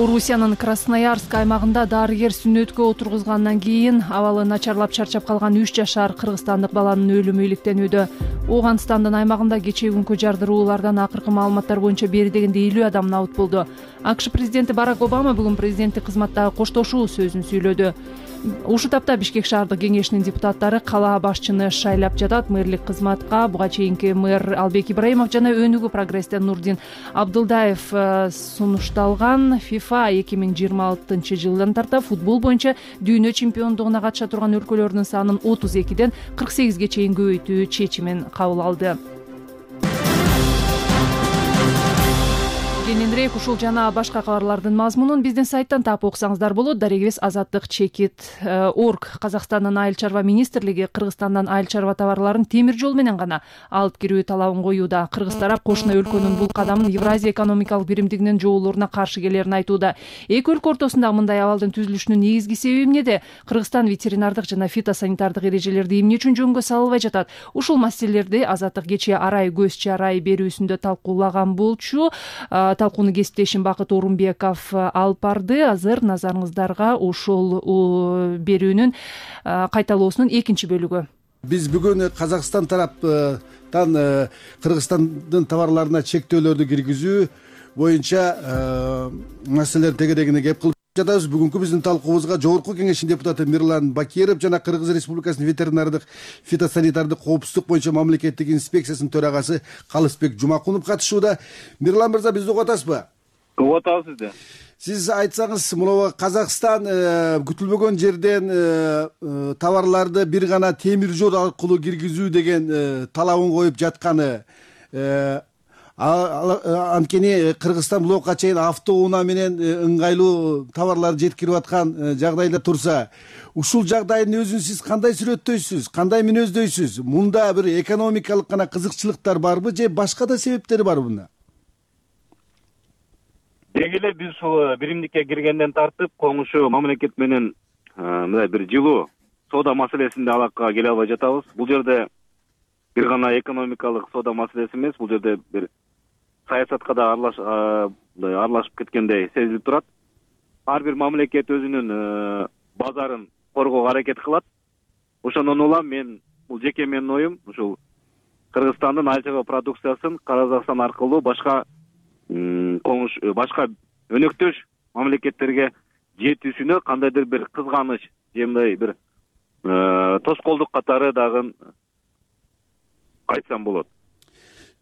Орусиянын Красноярск аймагында дарыгер сүннөткө отургузгандан кийин абалы начарлап чарчап калган үч жашар кыргызстандык баланын өлүмү иликтенүүдө. Ооганстандын аймагында кечээкүнкү жардыруулардан акыркы маалыматтар боюнча бери дегенде элүү адам набыт болду. АКШ президенти Барак Обама бүгүн президенттик кызматтагы коштошуу сөзүн сүйлөдү. Ушул тапта Бишкек шаардык кеңешинин депутаттары кала башчыны шайлап жатат. Мэрлик кызматка буга чейинки мэр Албек Ибраимов жана Өнүгүү прогресстен Нурдин Абдылдаев сунушталган. ФИФА эки миң жыйырма алтынчы жылдан тарта футбол боюнча дүйнө чемпиондугуна катыша турган өлкөлөрдүн санын отуз экиден кырк сегизге чейин көбөйтүү чечимин кабыл алды. Кененирээк ушул жана башка кабарлардын мазмунун биздин сайттан таап окусаңыздар болот. Дарегибиз азаттык чекит орг. Казакстандын айыл чарба министрлиги Кыргызстандан айыл чарба товарларын темир жол менен гана алып кирүү талабын коюуда. Кыргыз тарап кошуна өлкөнүн бул кадамын Евразия экономикалык биримдигинин жоолоруна каршы келерин айтууда. Эки өлкө ортосунда мындай абалдын түзүлүшүнүн негизги себеби эмнеде? Кыргызстан ветеринардык жана фитосанитардык эрежелерди эмне үчүн жөнгө салбай жатат? Ушул маселелерди азаттык кечээ арай көз чарай берүүсүндө талкуулаган болчу. Талкууну кесиптешим Бакыт Орунбеков алып барды. Азыр назарыңыздарга ошол берүүнүн кайталоосунун экинчи бөлүгү. Биз бүгүн Казакстан тараптан Кыргызстандын товарларына чектөөлөрдү киргизүү боюнча маселелер тегерегине кеп кылып жатабыз. Бүгүнкү биздин талкуубузга Жогорку кеңештин депутаты Мирлан Бакиров жана Кыргыз Республикасынын ветеринардык фитосанитардык коопсуздук боюнча мамлекеттик инспекциясынын төрагасы Калысбек Жумакунов катышууда. Мирлан мырза, бизди угуп атасызбы? Угуп атабыз сизди. Сиз айтсаңыз, мына Казакстан күтүлбөгөн жерден товарларды бир гана темир жол аркылуу киргизүү деген талабын коюп жатканы, анткени Кыргызстан блокко чейин автоунаа менен ыңгайлуу товарларды жеткирип аткан жагдайда турса, ушул жагдайдын өзүн сиз кандай сүрөттөйсүз, кандай мүнөздөйсүз? Мунда бир экономикалык гана кызыкчылыктар барбы же башка да себептери барбы мында? Деги эле биз ушул биримдикке киргенден тартып коңшу мамлекет менен мындай бир жылуу соода маселесинде алакага келе албай жатабыз. Бул жерде бир гана экономикалык соода маселеси эмес, бул жерде бир саясатка да аралашып кеткендей сезилип турат. Ар бир мамлекет өзүнүн базарын коргоого аракет кылат. Ошондон улам мен бул жеке менин оюм ушул Кыргызстандын айыл чарба продукциясын Казакстан аркылуу башка коңуш башка өнөктөш мамлекеттерге жетүүсүнө кандайдыр бир кызганыч же мындай бир тоскоолдук катары дагы айтсам болот.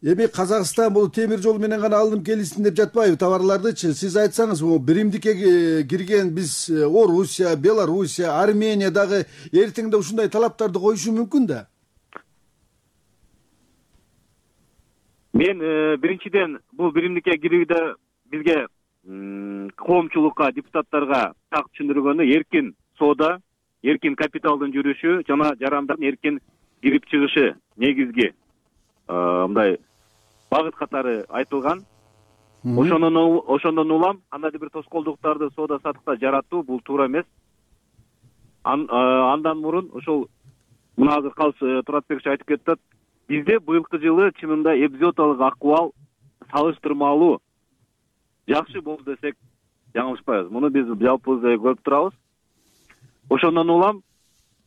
Эми Казакстан бул темир жол менен гана алынып келсин деп жатпайбы товарлардычы? Сиз айтсаңыз, биримдикке кирген биз Орусия, Белоруссия, Армения дагы эртеңде ушундай талаптарды коюшу мүмкүн да? Мен биринчиден бул биримдикке кирүүдө бизге коомчулукка, депутаттарга так түшүндүргөнү эркин соода, эркин капиталдын жүрүшү жана жарандардын эркин кирип чыгышы негизги мындай багыт катары айтылган. Ошондон ошондон улам кандайдыр бир тоскоолдуктарды соода саттыкта жаратуу бул туура эмес. Андан мурун ошол мына азыр Калыс Туратбекович айтып кетти. Бизде быйылкы жылы чынында эпизодиялык акыбал салыштырмалуу жакшы болду десек жаңылышпайбыз. Муну биз жалпыбызда көрүп турабыз. Ошондон улам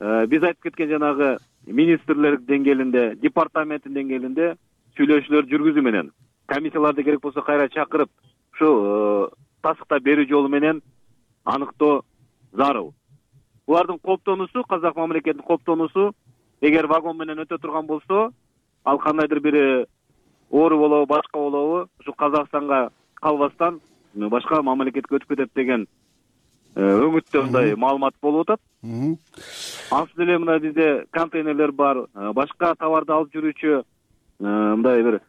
биз айтып кеткен жанагы министрлер деңгээлинде, департаменттин деңгээлинде сүйлөшүүлөр жүргүзүү менен комиссияларды керек болсо кайра чакырып ушу тасыкта берүү жолу менен аныктоо зарыл. Булардын коптонусу, казак мамлекетинин коптонусу эгер вагон менен өтө турган болсо, ал кандайдыр бир оору болобу, башка болобу, ушу Казакстанга калбастан башка мамлекетке өтүп кетет деген өңүттө мындай маалымат болуп атат. Ансыз деле мына бизде контейнерлер бар, башка товарды алып жүрүүчү мындай бир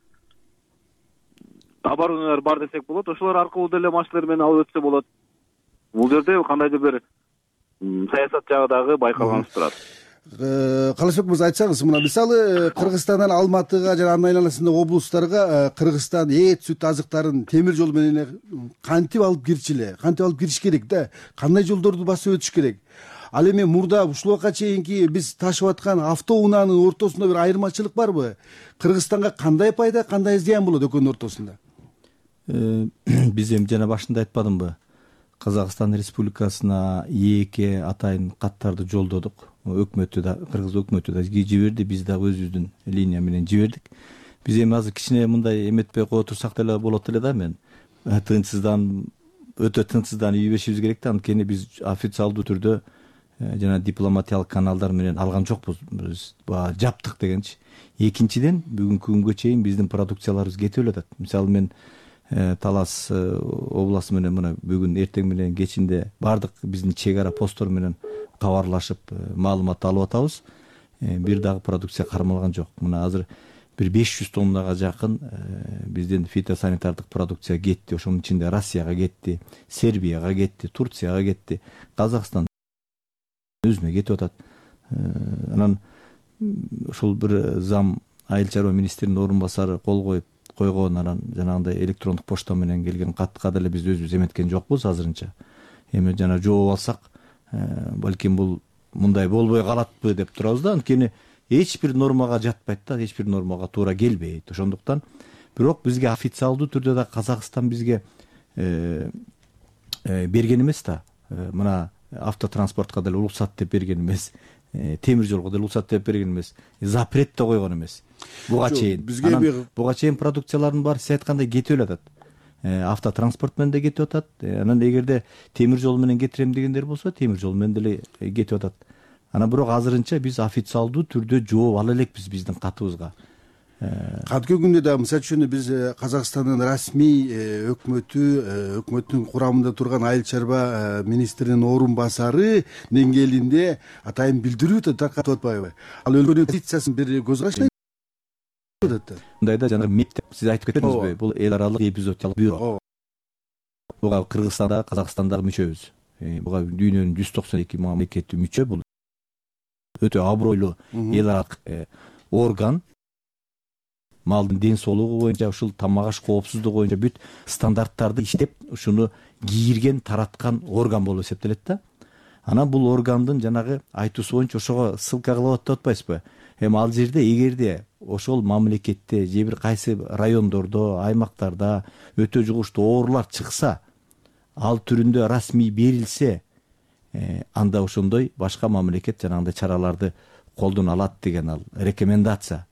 оборудованиялар бар десек болот. Ошолор аркылуу деле машиналар менен алып өтсө болот. Бул жерде кандайдыр бир саясат жагы дагы байкалганыбыз турат. Калычбек мырза, айтсаңыз, мына мисалы Кыргызстандан Алматыга жана анын айланасындагы облустарга Кыргызстан эт, сүт азыктарын темир жол менен кантип алып кирчү эле, кантип алып кириш керек да, кандай жолдорду басып өтүш керек? Ал эми мурда ушул убакка чейинки биз ташып аткан автоунаанын ортосунда бир айырмачылык барбы? Кыргызстанга кандай пайда, кандай зыян болот экөөнүн ортосунда? Биз эми жана башында айтпадымбы? Казакстан Республикасына эки атайын каттарды жолдодук. Өкмөтү да, Кыргыз өкмөтү да жиберди, биз дагы өзүбүздүн линия менен жибердик. Биз эми азыр кичине мындай эметпей кое турсак деле болот эле да, мен тынчсыздан өтө тынчсыздан үй беришибиз керек да, анткени биз официалдуу түрдө жана дипломатиялык каналдар менен алган жокпуз. Биз баягы жаптык дегенчи. Экинчиден, бүгүнкү күнгө чейин биздин продукцияларыбыз кетип эле атат. Мисалы мен Талас областы менен мына бүгүн эртең менен кечинде бардык биздин чек ара посттор менен кабарлашып маалымат алып атабыз. Бир дагы продукция кармалган жок. Мына азыр бир беш жүз тоннага жакын биздин фитосанитардык продукция кетти. Ошонун ичинде Россияга кетти, Сербияга кетти, Турцияга кетти, Казакстан өзүнө кетип атат. Анан ушул бир зам айыл чарба министринин орун басары кол коюп койгон, анан жанагындай электрондук почта менен келген катка деле биз өзүбүз эметкен жокпуз азырынча. Эми жана жооп алсак, балким бул мындай болбой калатпы деп турабыз да, анткени эч бир нормага жатпайт да, эч бир нормага туура келбейт. Ошондуктан бирок бизге официалдуу түрдө да Казакстан бизге берген эмес да. Мына автотранспортко деле уруксат деп берген эмес, темир жолго деле уруксат деп берген эмес, запрет да койгон эмес. Буга чейин буга чейин продукциялардын баары сиз айткандай кетип эле атат. Автотранспорт менен да кетип атат. Анан эгерде темир жол менен кетирем дегендер болсо, темир жол менен деле кетип атат. Анан бирок азырынча биз официалдуу түрдө жооп ала элекпиз биздин катыбызга. Кадимки күндө да мисалы үчүн биз Казакстандын расмий өкмөтү, өкмөттүн курамында турган айыл чарба министринин орун басары деңгээлинде атайын билдирүү таркатып атпайбы? Ал өлкөнүн позициясын бир көз караштай мындайда жана мектеп сиз айтып кеттиңизби, бул эл аралык эпизодиялык бюро. Буга Кыргызстанда, Казакстанда мүчөбүз. Буга дүйнөнүн жүз токсон эки мамлекети мүчө. Бул өтө абройлуу эл аралык орган. Малдын ден соолугу боюнча, ушул тамак аш коопсуздугу боюнча бүт стандарттарды иштеп, ушуну кийирген, тараткан орган болуп эсептелет да. Анан бул органдын жанагы айтуусу боюнча ошого ссылка кылып атып атпайсызбы? Эми ал жерде эгерде ошол мамлекетте же бир кайсы райондордо, аймактарда өтө жугуштуу оорулар чыкса, ал түрүндө расмий берилсе, анда ошондой башка мамлекет жанагындай чараларды колдоно алат деген ал рекомендация.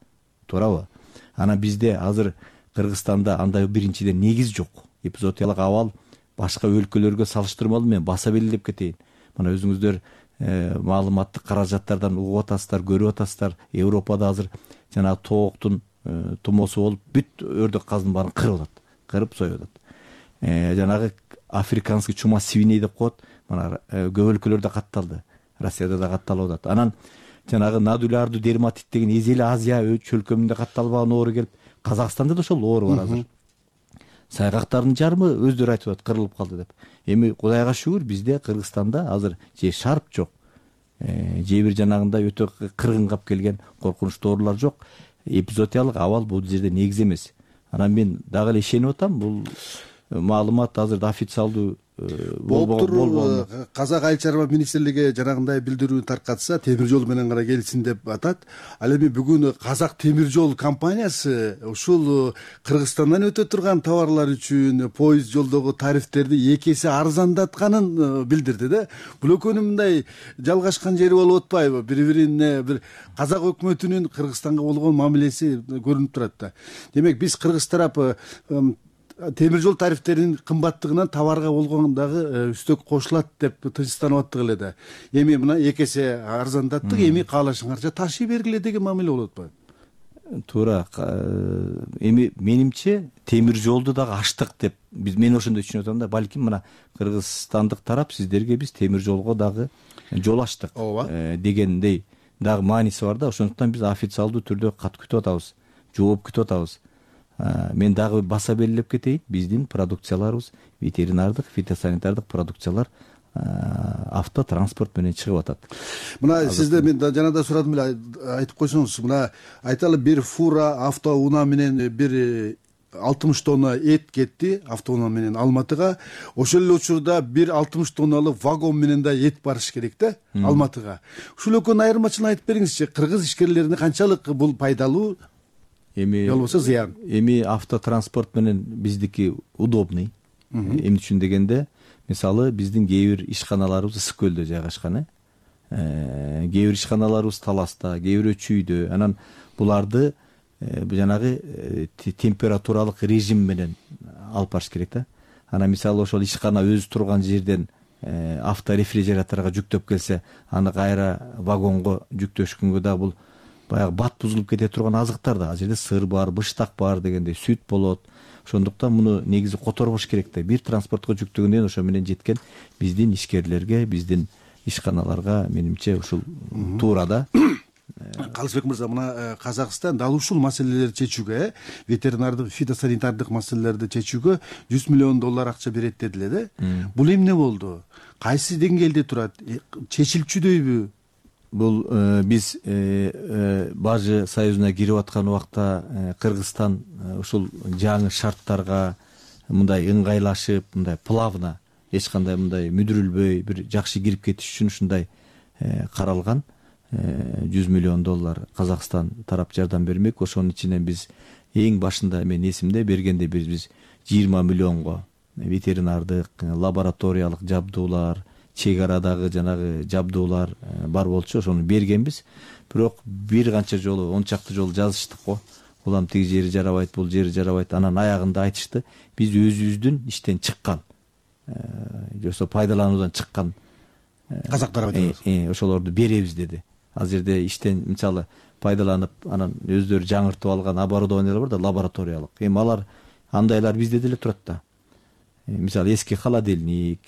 Туурабы? Анан бизде азыр Кыргызстанда андай биринчиден негиз жок. Эпизодиялык абал башка өлкөлөргө салыштырмалуу мен баса белгилеп кетейин. Мына өзүңүздөр маалыматтык каражаттардан угуп атасыздар, көрүп атасыздар. Европада азыр жана тооктун тумоосу болуп бүт өрдөк каздын баарын кырып атат, кырып союп атат. Жанагы африканский чума свиней деп коет. Мына көп өлкөлөрдө катталды, Россияда да катталып атат. Анан жанагы нодулярдуу дерматит деген эзели Азия чөлкөмүндө катталбаган оору келип, Казакстанда да ошол оору бар азыр. Сайгактардын жарымы өздөрү айтып атат, кырылып калды деп. Эми Кудайга шүгүр, бизде Кыргызстанда азыр же шарп жок, же бир жанагындай өтө кыргын кап келген коркунучтуу оорулар жок. Эпизодиялык абал бул жерде негиз эмес. Анан мен дагы эле ишенип атам, бул маалымат азыр официалдуу болуптур. Казак айыл чарба министрлиги жанагындай билдирүү таркатса, темир жол менен гана келсин деп атат. Ал эми бүгүн Казак темир жол компаниясы ушул Кыргызстандан өтө турган товарлар үчүн поезд жолдогу тарифтерди эки эсе арзандатканын билдирди да. Бул экөөнүн мындай жалгашкан жери болуп атпайбы? Бири-бирине бир Казак өкмөтүнүн Кыргызстанга болгон мамилеси көрүнүп турат да. Демек биз кыргыз тарапы темир жол тарифтеринин кымбаттыгынан товарга болгон дагы үстөк кошулат деп тынчсызданып аттык эле да. Эми мына эки эсе арзандаттык, эми каалашыңарча ташый бергиле деген мамиле болуп атпайбы? Туура. Эми менимче темир жолду дагы ачтык деп биз мен ошондой түшүнүп атам да. Балким мына кыргызстандык тарап сиздерге биз темир жолго дагы жол ачтык дегендей дагы мааниси бар да. Ошондуктан биз официалдуу түрдө кат күтүп атабыз, жооп күтүп атабыз. Мен дагы баса белгилеп кетейин, биздин продукцияларыбыз ветеринардык, фитосанитардык продукциялар автотранспорт менен чыгып атат. Мына сизде мен жана да сурадым эле, айтып койсоңуз. Мына айталы бир фура автоунаа менен бир алтымыш тонна эт кетти автоунаа менен Алматыга. Ошол эле учурда бир алтымыш тонналык вагон менен да эт барыш керек да Алматыга. Ушул экөөнүн айырмачылыгын айтып бериңизчи. Кыргыз ишкерлерине канчалык бул пайдалуу? Эми болбосо зыян. Эми автотранспорт менен биздики удобный. Эмне үчүн дегенде, мисалы биздин кээ бир ишканаларыбыз ысык көлдө жайгашкан, э кээ бир ишканаларыбыз Таласта, кээ бирөө Чүйдө. Анан буларды жанагы температуралык режим менен алып барыш керек да. Анан мисалы ошол ишкана өзү турган жерден авторефрижераторго жүктөп келсе, аны кайра вагонго жүктөшкөнгө да бул баягы бат бузулуп кете турган азыктар да. Ал жерде сыр бар, быштак бар дегендей, сүт болот. Ошондуктан муну негизи которбош керек да. Бир транспортко жүктөгөндөн ошо менен жеткен биздин ишкерлерге, биздин ишканаларга менимче ушул туура да. Калысбек мырза, мына Казакстан дал ушул маселелерди чечүүгө, ветеринардык, фитосанитардык маселелерди чечүүгө жүз миллион доллар акча берет дедиле да. Бул эмне болду? Кайсы деңгээлде турат? Чечилчүдөйбү? Бул биз Бажы союзуна кирип аткан убакта Кыргызстан ушул жаңы шарттарга мындай ыңгайлашып, мындай плавно, эч кандай мындай мүдүрүлбөй бир жакшы кирип кетиш үчүн ушундай каралган. жүз миллион доллар Казакстан тарап жардам бермек. Ошонун ичинен биз эң башында мен эсимде бергенде биз биз жыйырма миллионго ветеринардык, лабораториялык жабдуулар, чек арадагы жанагы жабдуулар бар болчу, ошону бергенбиз. Бирок бир канча жолу, он чакты жолу жазыштык го. Улам тиги жери жарабайт, бул жери жарабайт. Анан аягында айтышты, биз өзүбүздүн иштен чыккан, жосо пайдалануудан чыккан казактар ошолорду беребиз деди. Ал жерде иштен мисалы пайдаланып, анан өздөрү жаңыртып алган оборудованиялар бар да, лабораториялык. Эми алар андайлар бизде деле турат да. Мисалы эски холодильник,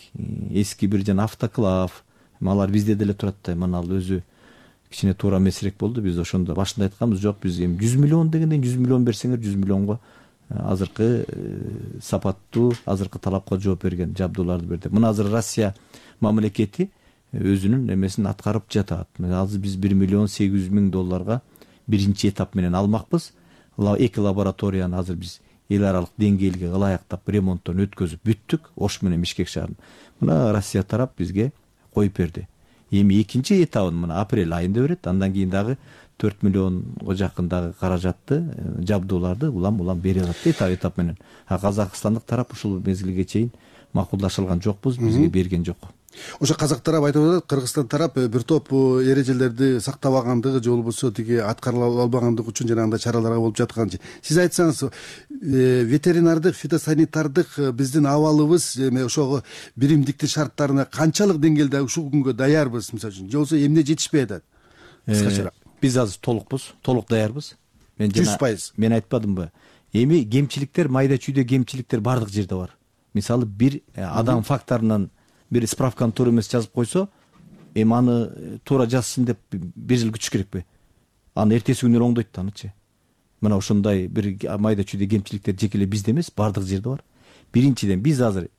эски бир жана автоклав, алар бизде деле турат да. Мына ал өзү кичине туура эмесирээк болду. Биз ошондо башында айтканбыз, жок биз эми жүз миллион дегенден жүз миллион берсеңер, жүз миллионго азыркы сапаттуу, азыркы талапка жооп берген жабдууларды берди. Мына азыр Россия мамлекети өзүнүн эмесин аткарып жатат. Азыр биз бир миллион сегиз жүз миң долларга биринчи этап менен алмакпыз. Эки лабораторияны азыр биз эл аралык деңгээлге ылайыктап ремонттон өткөзүп бүттүк, Ош менен Бишкек шаарын. Мына Россия тарап бизге коюп берди. Эми экинчи этабын мына апрель айында берет. Андан кийин дагы төрт миллионго жакын дагы каражатты, жабдууларды улам-улам бере алат этап этап менен. А казакстандык тарап ушул мезгилге чейин макулдашылган жокпуз, бизге берген жок. Ошо казак тарап айтып атат, Кыргызстан тарап бир топ эрежелерди сактабагандыгы же болбосо тиги аткарыла албагандыгы үчүн жанагындай чаралар болуп жатканчы. Сиз айтсаңыз, ветеринардык, фитосанитардык биздин абалыбыз эми ошого биримдиктин шарттарына канчалык деңгээлде ушул күнгө даярбыз, мисалы үчүн, же болбосо эмне жетишпей атат? Кыскачараак. Биз азыр толукпуз, толук даярбыз. Мен жүз пайыз. Мен айтпадымбы? Эми кемчиликтер, майда чүйдө кемчиликтер бардык жерде бар. Мисалы бир адам факторунан бир справканы туура эмес жазып койсо, эми аны туура жазсын деп бир жыл күтүш керекпи? Аны эртеси күнү оңдойт да анычы. Мына ошондой бир майда чүйдө кемчиликтер жеке эле бизде эмес, бардык жерде бар. Биринчиден биз азыр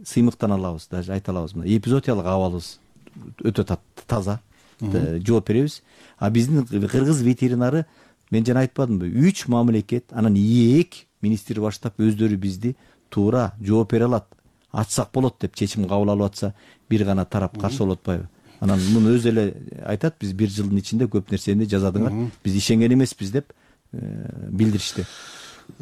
сыймыктан алабыз, даже айта алабыз. Мына эпизоотиялык абалыбыз өтө таза, жооп беребиз. А биздин кыргыз ветеринары, мен жана айтпадымбы, үч мамлекет, анан эки министр баштап өздөрү бизди туура жооп бере алат, ачсак болот деп чечим кабыл алып атса, бир гана тарап каршы болуп атпайбы? Анан муну өзү эле айтат, биз бир жылдын ичинде көп нерсени жазадыңар, биз ишенген эмеспиз деп билдиришти.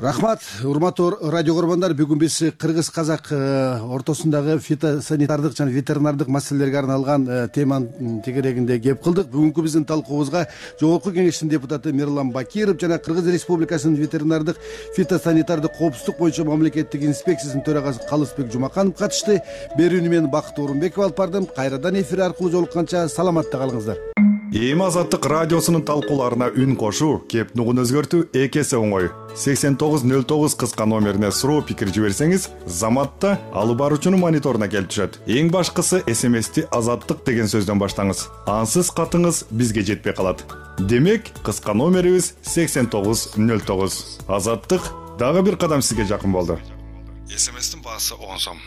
Рахмат, урматтуу радио көрөрмандар, бүгүн биз кыргыз казак ортосундагы фитосанитардык жана ветеринардык маселелерге арналган теманын тегерегинде кеп кылдык. Бүгүнкү биздин талкуубузга Жогорку Кеңештин депутаты Мирлан Бакиров жана Кыргыз Республикасынын ветеринардык фитосанитардык коопсуздук боюнча мамлекеттик инспекциясынын төрагасы Калысбек Жумаканов катышты. Берүүнү мен Бакыт Орунбеков алып бардым. Кайрадан эфир аркылуу жолукканча саламатта калыңыздар. эми азаттык радиосунун талкууларына үн кошуу, кеп нугун өзгөртүү эки эсе оңой. сексен тогуз нөл тогуз кыска номерине суроо пикир жиберсеңиз, заматта алып баруучунун мониторуна келип түшөт. Эң башкысы смсти азаттык деген сөздөн баштаңыз. Ансыз катыңыз бизге жетпей калат. Демек, кыска номерибиз сексен тогуз нөл тогуз. Азаттык дагы бир кадам сизге жакын болду. смстин баасы он сом.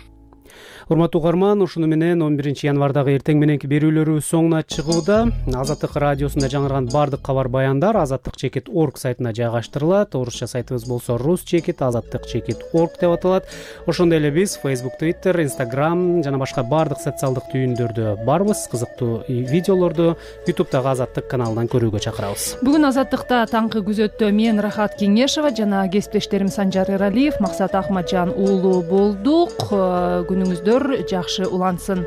Урматтуу угарман, ушуну менен он биринчи январдагы эртең мененки берүүлөрүбүз соңуна чыгууда. Азаттык радиосунда жаңырган бардык кабар баяндар азаттык чекит орг сайтына жайгаштырылат. Орусча сайтыбыз болсо рус чекит азаттык чекит орг деп аталат. Ошондой эле биз Facebook, Twitter, Instagram жана башка бардык социалдык түйүндөрдө барбыз. Кызыктуу видеолорду YouTube'дагы азаттык каналынан көрүүгө чакырабыз. Бүгүн азаттыкта таңкы күзөттө мен Рахат Кеңешова жана кесиптештерим Санжар Эралиев, Максат Ахматжан уулу болдук. Күнүңүздөр жакшы улансын.